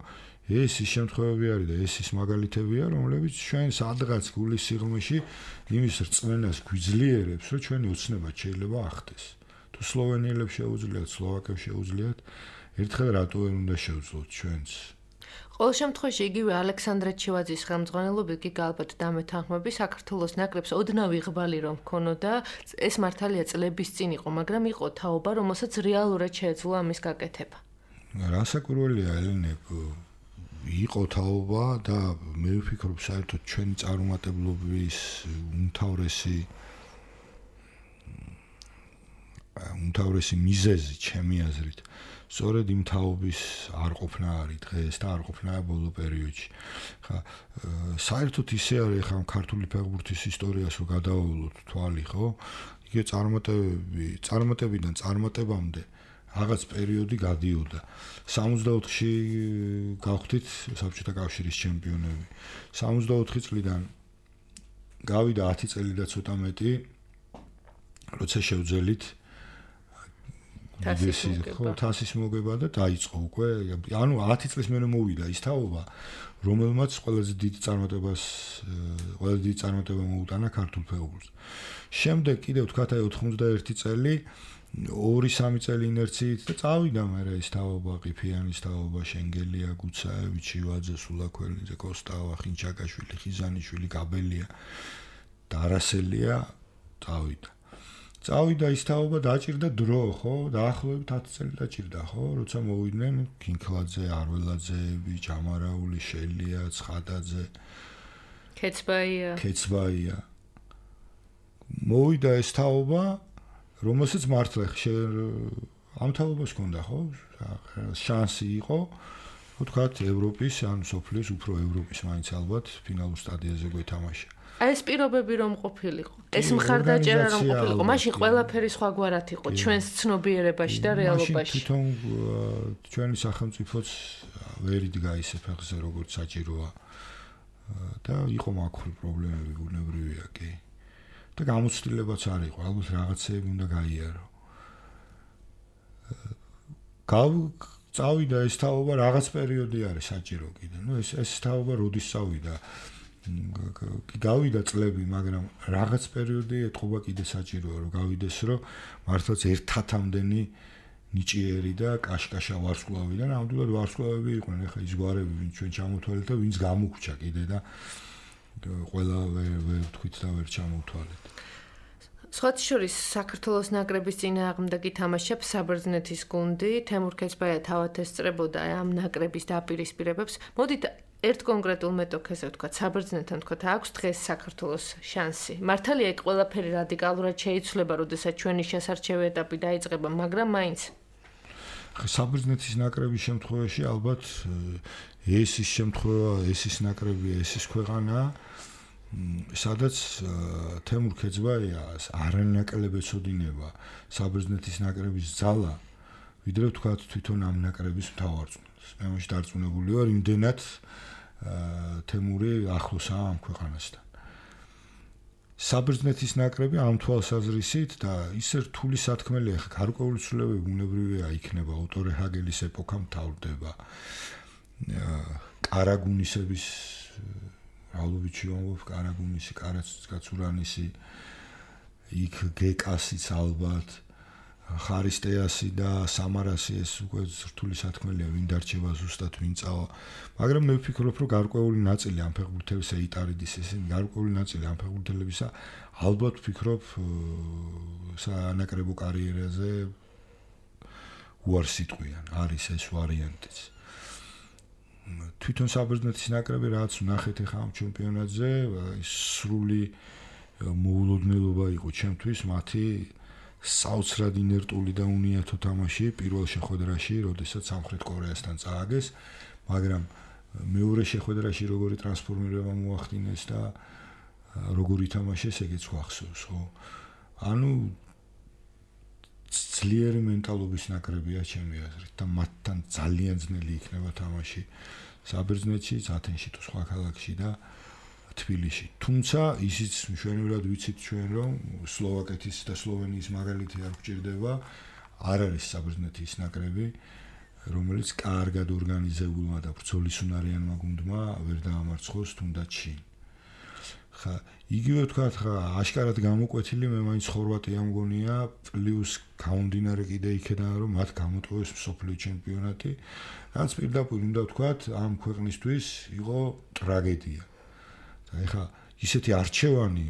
ეს ის შემთხვევები არის და ეს ის მაგალითებია, რომლებიც ჩვენ სადღაც გულის სიღრმეში იმის რწმენას გვიძლიერებს, რომ ჩვენი ოცნება შეიძლება ახდეს. თუ სლოვენიელებს შეუძლიათ, სლოვაკებს შეუძლიათ, ერთხელ რატო ვერ უნდა შევძლოთ ჩვენც? ყოველ შემთხვევაში იგივე ალექსანდრე ჩივაძის ხელმძღვანელობით კი ალბათ დამეთანხმები საქართველოს ნაკრებს ოდნავ იღბალი რომ ქონოდა, ეს მართალია წლების წინ იყო, მაგრამ იყო თაობა, რომელსაც რეალურად შეეძლო ამის გაკეთება. რასაკვირველია ელენე იყო თაობა და მე ვფიქრობ საერთოდ ჩვენი წარუმატებლობის უმთავრესი მიზეზი ჩემი აზრით სწორედ იმ თაობის არ ყოფნა არის დღეს და არ ყოფნა ბოლო პერიოდში. ხა საერთოდ ისე არის ხა ქართული ფეხბურთის ისტორიას რო გადავავლოთ თვალი, ხო? იგივე წარმატებიდან წარმატებამდე რაღაც პერიოდი გადიოდა. 64-ში გავხდით საბჭოთა კავშირის ჩემპიონები. 64 წლიდან გავიდა 10 წელი და ცოტა მეტი, როცა შევძელით თასის მოგება და დაიწყო უკვე. ანუ 10 წლის მერე მოვიდა ის თაობა, რომელმაც ყველაზე დიდი წარმატება მოუტანა ქართულ ფეხბურთს. შემდეგ კიდევ ვთქვათ აი 91 წელი 2-3 წელი ინერციით და წავიდა მერე ის თაობა, ყიფიანის თაობა, შენგელია, გუცაევი, ჩივაძე, სულაქველიძე, კოსტავა, ხინჩაკაშვილი, ხიზანიშვილი, გაბელია და არასელია წავიდა. წავიდა ის თაობა, დაჭირდა დრო, ხო? დაახლოებით 10 წელი დაჭირდა, ხო? როცა მოვიდნენ კინქლაძე, არველაძეები, ჯამარაული, შელია, ცხადაძე, ქეცბაია. მოვიდა ეს თაობა, რომელსაც მართლა ამ თაობას ჰქონდა, ხო? შანსი იყო, ვთქვათ, ევროპის, ან სოფლის, უფრო ევროპის მაინც ალბათ ფინალურ სტადიაზე გვეთამაშა. ეს პირობები რომ ყოფილიყო, ეს მხარდაჭერა რომ ყოფილიყო, მაშინ ყველაფერი სხვაგვარად იყო ჩვენს ცნობიერებაში და რეალობაში. მაშინ თვითონ ჩვენი სახელმწიფოც ვერ იდგა ისე ფეხზე, როგორც საჭიროა და იყო მაგხური პრობლემები, ბუნებრივია კი. და გამოცდილებაც არ იყო, ალბათ რაღაცეები უნდა გაიარო. წავიდა ეს თაობა, რაღაც პერიოდი არის საჭირო კიდე. ეს თაობა როდის წავიდა? გავიდა წლები, მაგრამ რაღაც პერიოდი ეთყობა კიდე საჭიროა, რომ გავიდეს, რომ მართლაც ერთათამდენი ნიჭიერი და კაშკაშა ვარსკვლავი და ნამდვილად ვარსკვლავები იყვნენ. ეხლა ის გვარები, ვინც ჩვენ ჩამოთვალეთ და ვინც გამოგჩა კიდე და ყველა ვერ თქვით და ვერ ჩამოთვალეთ. სხვათა შორის საქართველოს ნაკრების წინააღმდეგ ითამაშებს საბერძნეთის გუნდი. თემურ ქეცბაია თავად ესწრებოდა ამ ნაკრების დაპირისპირებებს. მოდით ერთ კონკრეტულ მეტოქეზე ვთქვათ, საბერძნეთთან ვთქვათ, აქვს დღეს საქართველოს შანსი. მართალია იქ ყველაფერი რადიკალურად შეიცვლება, როდესაც ჩვენი შესარჩევი ეტაპი დაიწყება, მაგრამ მაინც საბერძნეთის ნაკრების შემთხვევაში ალბათ ეს ის შემთხვევა, ეს ის ნაკრებია, ეს ის ქვეყანა, სადაც თემურ ქეცბაიას არანაკლებ ეცოდინება საბერძნეთის ნაკრების ძალა, ვიდრე ვთქვათ თვითონ ამ ნაკრების მთავარწმუნს. მე მაშინ დარწმუნებული ვარ, იმდენად თემური ახლოსაა ამ ქვეყანასთან. საბერძნეთის ნაკრები ამ თვალსაზრისით და ისე რთული სათქმელია, ხა გარკვეული ცვლილებები ბუნებრივია იქნება, ოტორე ჰაგელის ეპოქა მთავრდება. კარაგუნისების რავლოვიჩი ვამბობ, კარაგუნისი, კაცურანისი, იქ გეკასიც ალბათ, ხარისტეასი და სამარასი, ეს უკვე რთული სათქმელია, ვინ დარჩება ზუსტად, ვინ წავა. მაგრამ მე ვფიქრობ, რომ გარკვეული ნაწილი ამ ფეხბურთელისა იტარიდის, ესენი გარკვეული ნაწილი ამ ფეხბურთელებისა ალბათ ვფიქრობ სანაკრებო კარიერაზე უარს იტყვიან, არის ეს ვარიანტიც. თვითონ საბერძნეთის ნაკრები რაც ვნახეთ ახლა ამ ჩემპიონატზე, სრული მოულოდნელობა იყო ჩემთვის მათი საოცრად ინერტული და უნიათო თამაში პირველ შეხვედრაში, როდესაც სამხრეთ კორეასთან წააგეს, მაგრამ მეორე შეხვედრაში როგორი ტრანსფორმირება მოახდინეს და როგორი ითამაშეს, ეგეც გვახსოვს, ხო? ანუ ძლიერი მენტალობის ნაკრებია ჩემი აზრით და მათთან ძალიან ძნელი იქნება თამაში საბერძნეთში, ათენში თუ სხვა ქალაქში და თბილისში. თუმცა ისიც მშვენივრად ვიცით ჩვენ, რომ სლოვაკეთის და სლოვენიის მაგალითი არ გვჭირდება, არ არის საბერძნეთის ნაკრები, რომელიც კარგად ორგანიზებულმა და ბრძოლისუნარიანმა გუნდმა ვერ დაამარცხოს თუნდაც შინ. ხა იგივე ვთქვათ, ხა აშკარად გამოკვეთილი მე მაინც ხორვატია მგონია, პლუს გამომდინარე კიდე იქედან, რომ მათ გამოტოვეს მსოფლიო ჩემპიონატი, რაც პირდაპირ უნდა ვთქვათ, ამ ქვეყნისთვის იყო ტრაგედია. და ეხლა ისეთი არჩევანი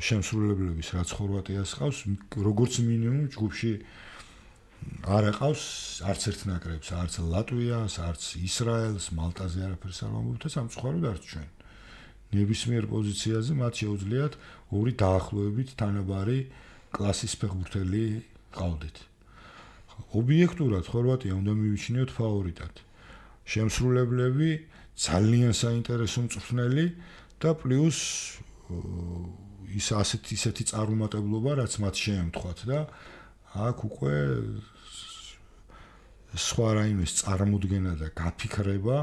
შემსრულებლების, რაც ხორვატიას ყავს, როგორც მინიმუმ ჯგუფში არ აყავს არც ერთ ნაკრებს, არც ლატვიას, არც ისრაელს, მალტაზე არაფერს არ ვამბობ და სამწუხაროდ არც ჩვენ. ნებისმიერ პოზიციაზე მათ შეუძლიათ ორი დაახლოებით თანაბარი კლასის ფეხბურთელი ყავდეთ. ობიექტურად ხორვატია უნდა მივიჩნიოთ ფავორიტად. შემსრულებლები ძალიან საინტერესო მწვრთნელი და პლუს ის ისეთი წარუმატებლობა, რაც მათ შეემთხვათ და აქ უკვე სხვა რაიმეს წარმოუდგენა და გაფიქრება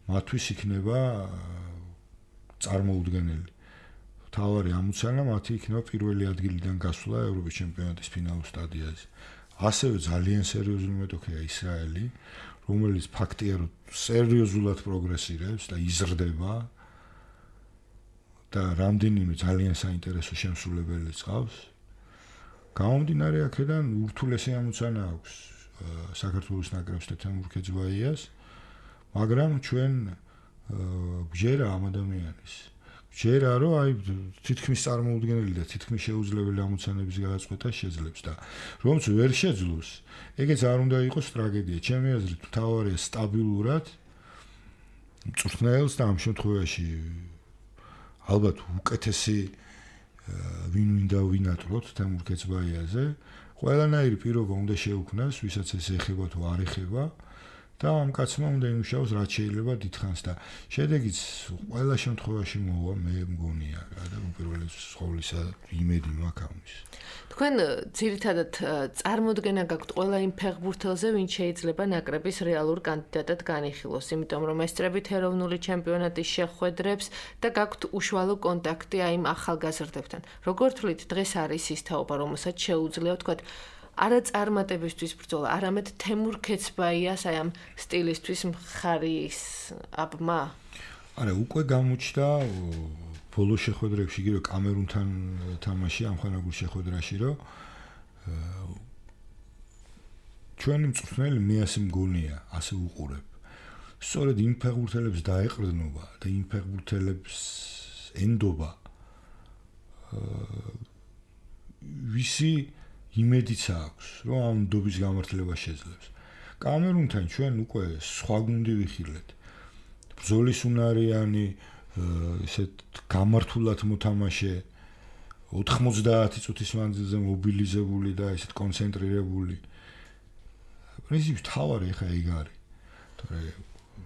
მათთვის იქნება წარმოუდგენელი. თავარი ამოცანა მათი იქნება პირველი ადგილიდან გასვლა ევროპის ჩემპიონატის ფინალურ სტადიაზე. ასევე ძალიან სერიოზული მეტოქეა ისრაელი, რომელიც ფაქტია, რომ სერიოზულად პროგრესირებს და იზრდება და რამდენიმე ძალიან საინტერესო შემსრულებელიც ყავს. გამომდინარე აქედან ურთულესი ამოცანა აქვს საქართველოს ნაკრებს და თემურ ქეცბაიას, მაგრამ ჩვენ გვჯერა ამ ადამიანის. ჯერა რომ აი თითქმის წარმოუდგენელი და თითქმის შეუძლებელი ამოცანების გადაწყვეტა შეძლებს და რომც ვერ შეძლოს, ეგეც არ უნდა იყოს ტრაგედია. ჩემი აზრით, მთავარია სტაბილურად მწვრთნელს და ამ შემთხვევაში ალბათ უკეთესი ვინ უნდა ვინატროთ თემურ ქეცბაიაზე, ყველანაირი პირობა უნდა შეუქმნას, ვისაც ეს ეხება თუ არ ეხება. და ამ კაცმა უნდა იმუშაოს რაც შეიძლება დიდხანს და შედეგიც ყველა შემთხვევაში მოვა, მე მგონია და უპირველეს ყოვლისა იმედი მაქვს ამის. თქვენ ძირითადად წარმოდგენა გაქვთ ყველა იმ ფეხბურთელზე, ვინც შეიძლება ნაკრების რეალურ კანდიდატად განიხილოს, იმიტომ რომ ესწრებით ეროვნული ჩემპიონატის შეხვედრებს და გაქვთ უშუალო კონტაქტი იმ ახალგაზრდებთან. როგორ თვლით, დღეს არის ის თაობა, რომელსაც შეუძლია ვთქვათ არა წარმატებისთვის ბრძოლა, არამედ თემურ ქეცბაიას აი ამ სტილისთვის მხარის აბმა? არა, უკვე გამოჩნდა ბოლო შეხვედრებში, იგივე კამერუნთან თამაში ამ ხანაგურ შეხვედრაში, რომ ჩვენი მწვრთნელი მე ასე მგონია, ასე უყურებ. სწორედ იმ ფეხბურთელებს დაეყრდნობა და იმ ფეხბურთელებს ენდობა ვისი იმედიც აქვს, რომ ამ ნდობის გამართლება შეძლებს. კამერუნთან ჩვენ უკვე სხვა გუნდი ვიხილეთ. ბრძოლის უნარიანი, ესეთ გამართულად მოთამაშე 90 წუთის მანძილზე მობილიზებული და ესეთ კონცენტრირებული. პრინციპში თავარი ხა ეგ არის.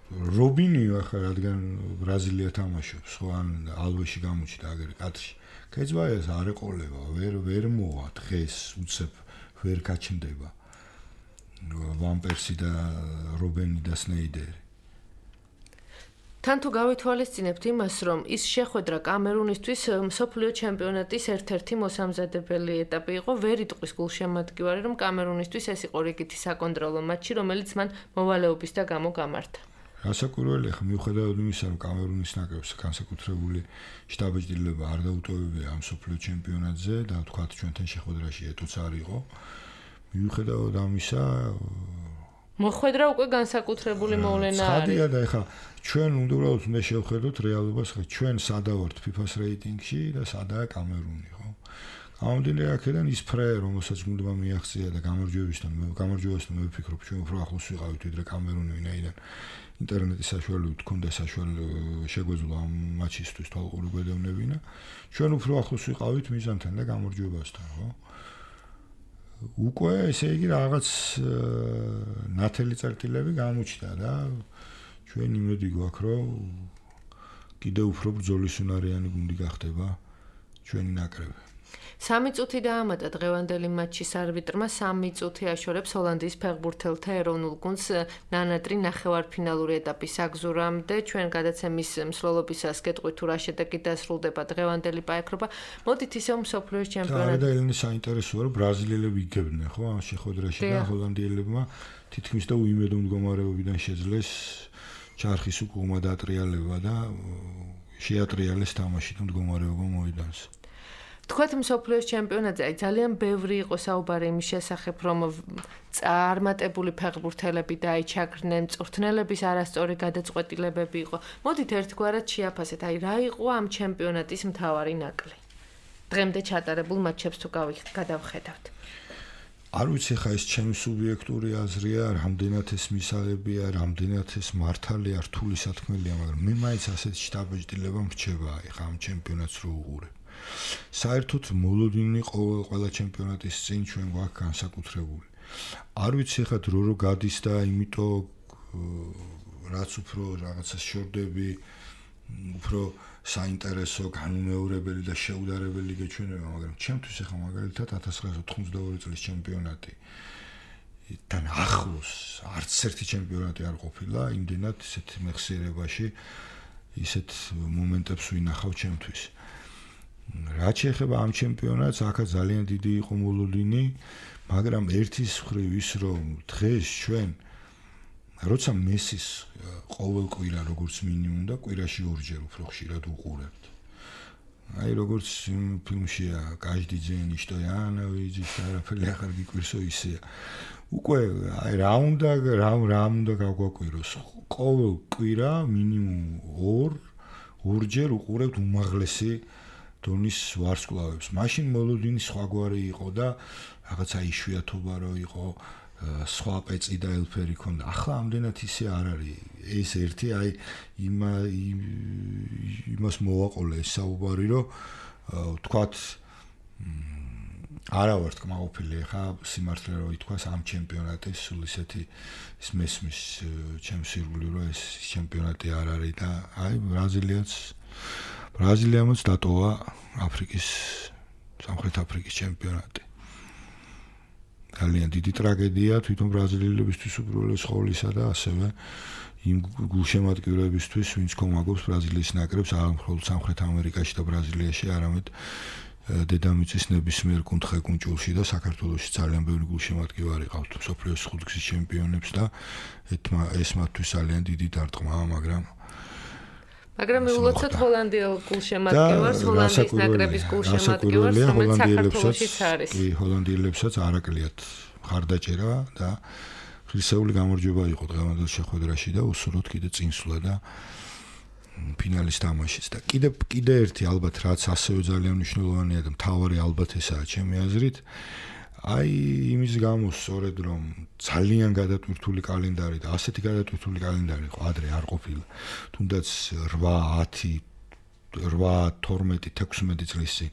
რობინიო ახლა რადგან ბრაზილია თამაშობს, ხო ან ალვეში გამოჩნდა აგერ კადრში. კეცბაიას არ ეყოლება, ვერ მოვა დღეს უცებ ვერ გაჩნდება. ვან პერსი და რობენი და სნეიდერი. თან თუ გავითვალისწინებთ იმას, რომ ის შეხვედრა კამერუნისთვის მსოფლიო ჩემპიონატის ერთ-ერთი მოსამზადებელი ეტაპი იყო, ვერ იტყვის გულშემატკივარი, რომ კამერუნისთვის ეს იყო რიგითი საკონტროლო მატჩი, რომელიც მან მოვალეობის და გამო გამართა. რასაკვირველია, ხა მიუხედავად იმისა, რომ კამერუნის ნაკრებს განსაკუთრებული შტაბ-ჭრილება არ დაუტოვებია ამ მსოფლიო ჩემპიონატზე და თქვათ ჩვენთან შეხვედრაში ეტოც არ იყო. მიუხედავად ამისა, მოხვედრა უკვე განსაკუთრებული მოვლენა არის. ხადია და ეხა ჩვენ უბრალოდ მე შევხედოთ რეალობას, ხა ჩვენ სადავართ FIFA-ს რეიტინგში და სადაა კამერუნი, ხო? გამომდინარე აქედან ის ფრე, რომელსაც გუნდმა მიაღწია და გამარჯვებასთან მე ვფიქრობ, ჩვენ უფრო ახლოს ვიყავით ვიდრე კამერუნი, ვინაიდან ინტერნეტის საშუალებით ჰქონდა შეგვეძლო ამ მატჩისთვის თვალყური გვედევნებინა. ჩვენ უფრო ახლოს ვიყავით მიზანთან და გამარჯვებასთან, ხო? უკვე ესე იგი რაღაც ნათელი წერტილები გამოჩნდა და ჩვენ იმედი გვაქვს, რომ კიდევ უფრო ბრძოლის უნარიანი გუნდი გახდება ჩვენი ნაკრები. 3 წუთი დაამატა დღევანდელი მატჩის არბიტრმა, 3 წუთი აშორებს ჰოლანდიის ფეხბურთელთა ეროვნულ გუნდს ნანატრი ნახევარფინალური ეტაპის აგზურამდე. ჩვენ გადაცემის მსვლელობისას გეტყვით თუ რა შედეგი დასრულდება დღევანდელი პაექრობა. მოდით ისევ მსოფლიოს ჩემპიონატი. და ელენი საინტერესოა, რომ ბრაზილიელები იგებდნენ, ხო, ამ შეხვედრაში და ჰოლანდიელებმა თითქმის და უიმედო მდგომარეობიდან შეძლეს ჩარხის უკუღმა დატრიალება და შეატრიალეს თამაში და მდგომარეობა მოიდანს. თქვათ მსოფლიოს ჩემპიონატზე ძალიან ბევრი იყო საუბარი იმის შესახებ, რომ წარმატებული ფეხბურთელები დაიჩაგრნენ, მწვრთნელების არასწორი გადაწყვეტილებები იყო. მოდით ერთგვარად შეაფასეთ, რა იყო ამ ჩემპიონატის მთავარი ნაკლი. დღემდე ჩატარებულ მატჩებს თუ გადავხედავთ. არ ვიცი ხა ეს ჩემი სუბიექტური აზრია, რამდენად ეს მისაღებია, რამდენად ეს მართალია, რთული სათქმელია, მაგრამ მე მაინც ასეთ შტაბ-ჭრილება მრჩება ხა ამ ჩემპიონატს რო უყურებ. საერთოდ მოლოდინი ყველა ჩემპიონატის წინ ჩვენ გვაქვს განსაკუთრებული. არ ვიცი ხა დრო გადის და იმიტომ რაც უფრო რაღაცას შორდები, უფრო საინტერესო, განუმეორებელი და შეუდარებელი გეჩვენება, მაგრამ ჩემთვის ხა მაგალითად 1992 წლის ჩემპიონატი თან ახლოს არც ერთი ჩემპიონატი არ ყოფილა, იმდენად ისეთ მეხსიერებაში ისეთ მომენტებს ვინახავ ჩემთვის. რაც შეეხება ამ ჩემპიონატს, აქ ძალიან დიდი იყო მოლოდინი, მაგრამ ერთის მხრივ ის რომ დღეს ჩვენ როცა მესის ყოველ კვირა როგორც მინიმუმ და კვირაში ორჯერ უფრო ხშირად უყურებთ. აი როგორც ფილმშია каждый день что я навижу, არაფერი ახალ გიკვირსო ისეა. უკვე აი რა უნდა გავგვაკვიროს. ყოველ კვირა მინიმუმ ორჯერ უყურებთ უმაღლესი დონის ვარსკვლავებს. მაშინ მოლოდინი სხვაგვარი იყო და რაღაცა იშვიათობა რო იყო, სხვა პეწი და ელფერი ქონდა. ახლა ამდენად ისე არ არის. ეს ერთი აი იმას მოვაყოლე ეს საუბარი, რომ თქვათ არა ვარ თქმაყოფილი ხა სიმართლე რო ითქვას ამ ჩემპიონატის სულ ისეთი ის მესმის ჩემს ირგვლივ რომ ეს ჩემპიონატი არ არის და აი ბრაზილიამაც დატოვა სამხრეთ აფრიკის ჩემპიონატი. ძალიან დიდი ტრაგედია თვითონ ბრაზილიელებისთვის უბრალოდ სკოლისა და ასევე იმ გულშემატკივრებისთვის, ვინც კომაგობს ბრაზილიის ნაკრებს არა მხოლოდ სამხრეთ ამერიკაში და ბრაზილიაში, არამედ დედამიწის ნებისმიერ კუნთხედ-კუნჭულში და საქართველოში ძალიან ბევრი გულშემატკივარი ყავთ მსოფლიოს ხუთგზის ჩემპიონებს და ეს მათთვის ძალიან დიდი დარტყმაა, მაგრამ მაგრამ მიულოცოთ ჰოლანდიელ გულშემატკივარს, ჰოლანდიის ნაკრების გულშემატკივარს, რომელიც საქართველოშიც არის. კი, ჰოლანდიელებსაც არ აკლიათ ხარდაჭერა და ღირსეული გამარჯვება იყო დღევანდელ შეხვედრაში და უსურვოთ კიდე წინსვლა და ფინალის თამაშიც და კიდე ერთი ალბათ რაც ასევე ძალიან მნიშვნელოვანია და მთავარი ალბათ ესაა ჩემი აზრით აი იმის გამო სწორედ რომ ძალიან გადატვირთული კალენდარი და ასეთი გადატვირთული კალენდარი იყო ადრე არ ყოფილა თუნდაც 8 10 12 16 წლის წინ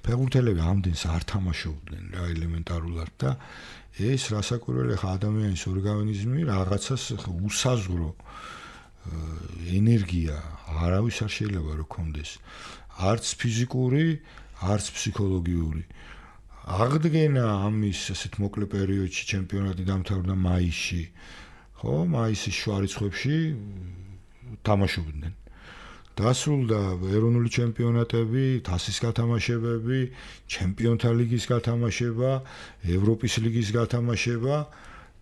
ფეხბურთელები ამდენს არ თამაშობდნენ რა ელემენტარულად და ეს რასაკვირველია ხა ადამიანის ორგანიზმი რაღაცას უსაზღვრო ენერგია არავის არ შეიძლება რომ კონდეს არც ფიზიკური არც ფსიქოლოგიური აღდგენა ამის ასეთ მოკლე პერიოდში ჩემპიონატი დამთავრდა მაისში ხო მაისის შუა რიცხვებში თამაშობდნენ დასრულდა ეროვნული ჩემპიონატები, თასის გათამაშებები, ჩემპიონთა ლიგის გათამაშება, ევროპის ლიგის გათამაშება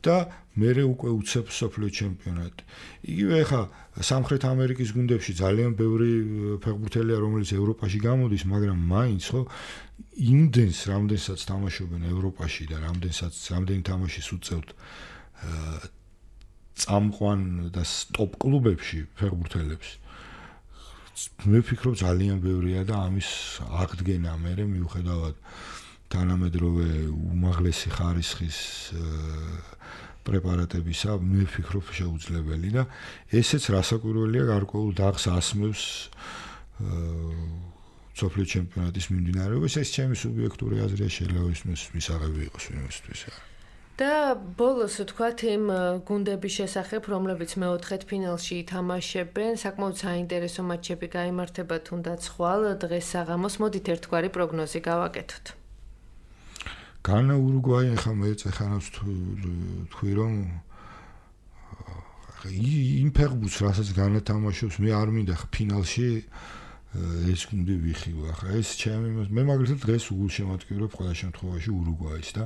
და მერე უკვე უცებ სოფლიო ჩემპიონატი. იგივე ხა სამხრეთ ამერიკის გუნდებში ძალიან ბევრი ფეხბურთელია, რომელიც ევროპაში გამოდის, მაგრამ მაინც ხო იმდენს რამდენსაც თამაშობენ ევროპაში და რამდენი თამაშის უწევთ წამყვან და ტოპ კლუბებში ფეხბურთელებს. მე ვფიქრობ ძალიან ბევრია და ამის აღდგენა მერე მიუხედავად თანამედროვე უმაღლესი ხარისხის პრეპარატებისა მე ვფიქრობ შეუძლებელი და ესეც რასაკვირველია გარკვეულ დაღს ასმევს სოფლიო ჩემპიონატის მიმდინარეობას ეს ჩემი სუბიექტური აზრია შეიძლება ისმის მისაღები იყოს ვინმესთვის და ბოლოს ვთქვათ იმ გუნდების შესახებ, რომლებიც მეოთხედ ფინალში ითამაშებენ, საკმაოდ საინტერესო მატჩები გაიმართება თუნდაც ხვალ დღეს საღამოს, მოდით ერთგვარი პროგნოზი გავაკეთოთ. განა ურუგვაი ხა მე წეხანავს თქვი რომ იმ ფეხბურთს რასაც განა თამაშობს, მე არ მინდა ხა ფინალში ეს გუნდი ვიხილო. ახლა ეს ჩემი მე მაგალითად დღეს უგულშემატკივრობ ყველა შემთხვევაში ურუგვაის და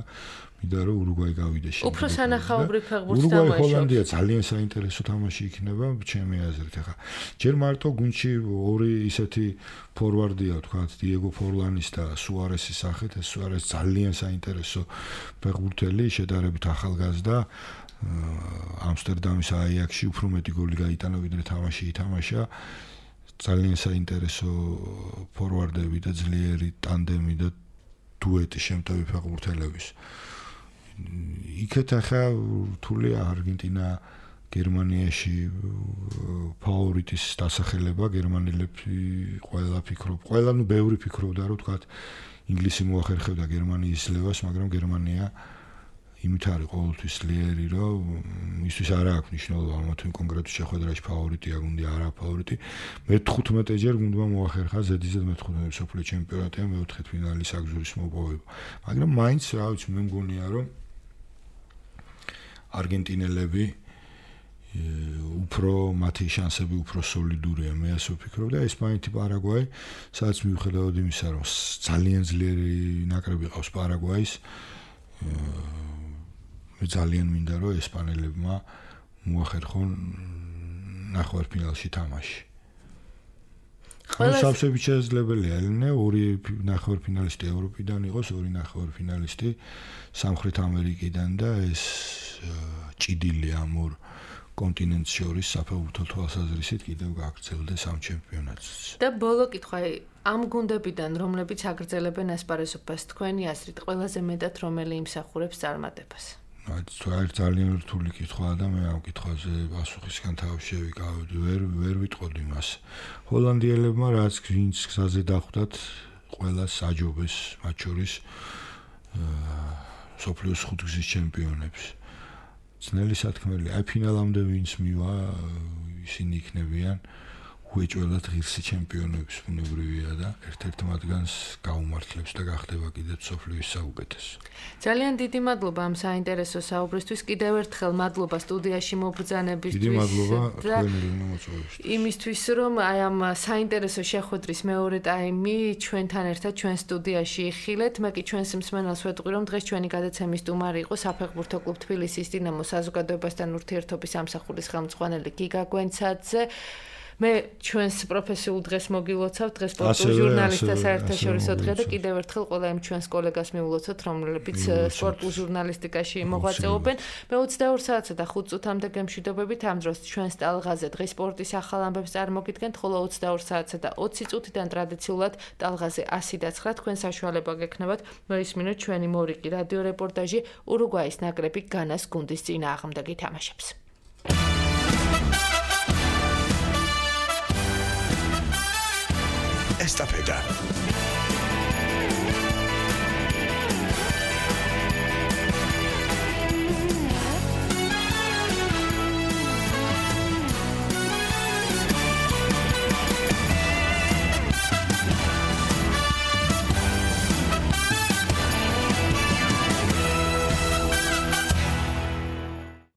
მინდა რომ ურუგვაი გავიდეს შემდგომ. უფრო სანახაობრივ ფეხბურთს თამაშობს. ურუგვაი ჰოლანდია თამაშობს. ძალიან საინტერესო თამაში იქნება ჩემი აზრით. ახლა ჯერ მარტო გუნდში ორი ისეთი ფორვარდია, თქვათ, დიეგო ფორლანის და სუარესის სახით. ეს სუარეს ძალიან საინტერესო ფეხბურთელი, შედარებით ახალგაზრდა. ამსტერდამის აიაქსში უფრო მეტი გოლი გაიტანა, ვიდრე თამაში ითამაშა. ძალიან საინტერესო ფორვარდები და ძლიერი ტანდემი და დუეტი შემტევი ფეხბურთელების. იქეთ ახლა რთულია არგენტინა გერმანიაში ფავორიტის დასახელება გერმანელები ყველა ფიქრობ ყველა ბევრი ფიქრობდა რომ თქვა ინგლისი მოახერხებდა გერმანიის ძლევას მაგრამ გერმანია იმით არის ყოველთვის ძლიერი რომ ისთვის არ აქვს მნიშვნელობა თუ კონკრეტულ შეხვედრაში ფავორიტია გუნდი არა ფავორიტი მე-15 ჯერ გუნდმა მოახერხა ზედიზედ მე-15 სოფლიო ჩემპიონატია მეოთხე ფინალის აგზურის მოპოვება მაგრამ მაინც რა ვიცი მე მგონია რომ არგენტინელები უფრო მათი შანსები უფრო სოლიდურია მე ასე ვფიქრობ და ესპანეთი პარაგვაი სადაც მიუხედავად იმისა რომ ძალიან ძლიერი ნაკრები ყავს პარაგვაის მე ძალიან მინდა რომ ესპანელებმა მოახერხონ ნახევარფინალში თამაში სავსებით შესაძლებელია ელენე ორი ნახევარფინალისტი ევროპიდან იყოს ორი ნახევარფინალისტი სამხრეთ ამერიკიდან და ეს ჭიდილი ამ ორ კონტინენტს შორის საფეხბურთო თვალსაზრისით კიდევ გაგრძელდეს ამ ჩემპიონატს და ბოლო კითხვა ამ გუნდებიდან რომლებიც აგრძელებენ ასპარეზობას თქვენი აზრით ყველაზე მეტად რომელი იმსახურებს წარმატებას აი ძალიან რთული კითხვაა და მე ამ კითხვაზე პასუხისგან თავი შევიკავდი ვერ ვიტყოდი მას ჰოლანდიელებმა რაც ვინც გზაზე დახვდათ ყველას აჯობეს მათ შორის სოფლიოს ხუთგზის ჩემპიონებს ძნელი სათქმელი აი ფინალამდე ვინც მივა ისინი იქნებიან უეჭველად ღირსი ჩემპიონების ბუნებრივია და ერთ-ერთ მათგანს გაუმართლებს და გახდება კიდევ სოფლიოს საუკეთესო. ძალიან დიდი მადლობა ამ საინტერესო საუბრისთვის. კიდევ ერთხელ მადლობა სტუდიაში მობრძანებისთვის. დიდი მადლობა თქვენი მოწვევისთვის. იმისთვის რომ აი ამ საინტერესო შეხვედრის მეორე ტაიმი ჩვენთან ერთად ჩვენ სტუდიაში იხილეთ. მე კი ჩვენს მსმენელს ვეტყვი რომ დღეს ჩვენი გადაცემის სტუმარი იყო საფეხბურთო კლუბ თბილისის დინამოს საზოგადოებასთან ურთიერთობის სამსახურის ხელმძღვანელი გიგა გვენცაძე. მე ჩვენს პროფესიულ დღეს მოგილოცავთ, დღეს სპორტულ ჟურნალისტთა საერთაშორისო დღე და კიდევ ერთხელ ყველა იმ ჩვენს კოლეგას მივულოცოთ, რომლებიც სპორტულ ჟურნალისტიკაში მოღვაწეობენ. მე 22 საათსა და 5 წუთამდე გემშვიდობებით ამ დროს ჩვენს ტალღაზე დღის სპორტის ახალ ამბებს წარმოგიდგენთ, ხოლო 22 საათსა და 20 წუთიდან ტრადიციულად ტალღაზე 109 თქვენ საშუალება გექნებათ მოისმინოთ ჩვენი მორიგი რადიო რეპორტაჟი ურუგვაის ნაკრები განას გუნდის წინააღმდეგი თამაშებს. Estafeta.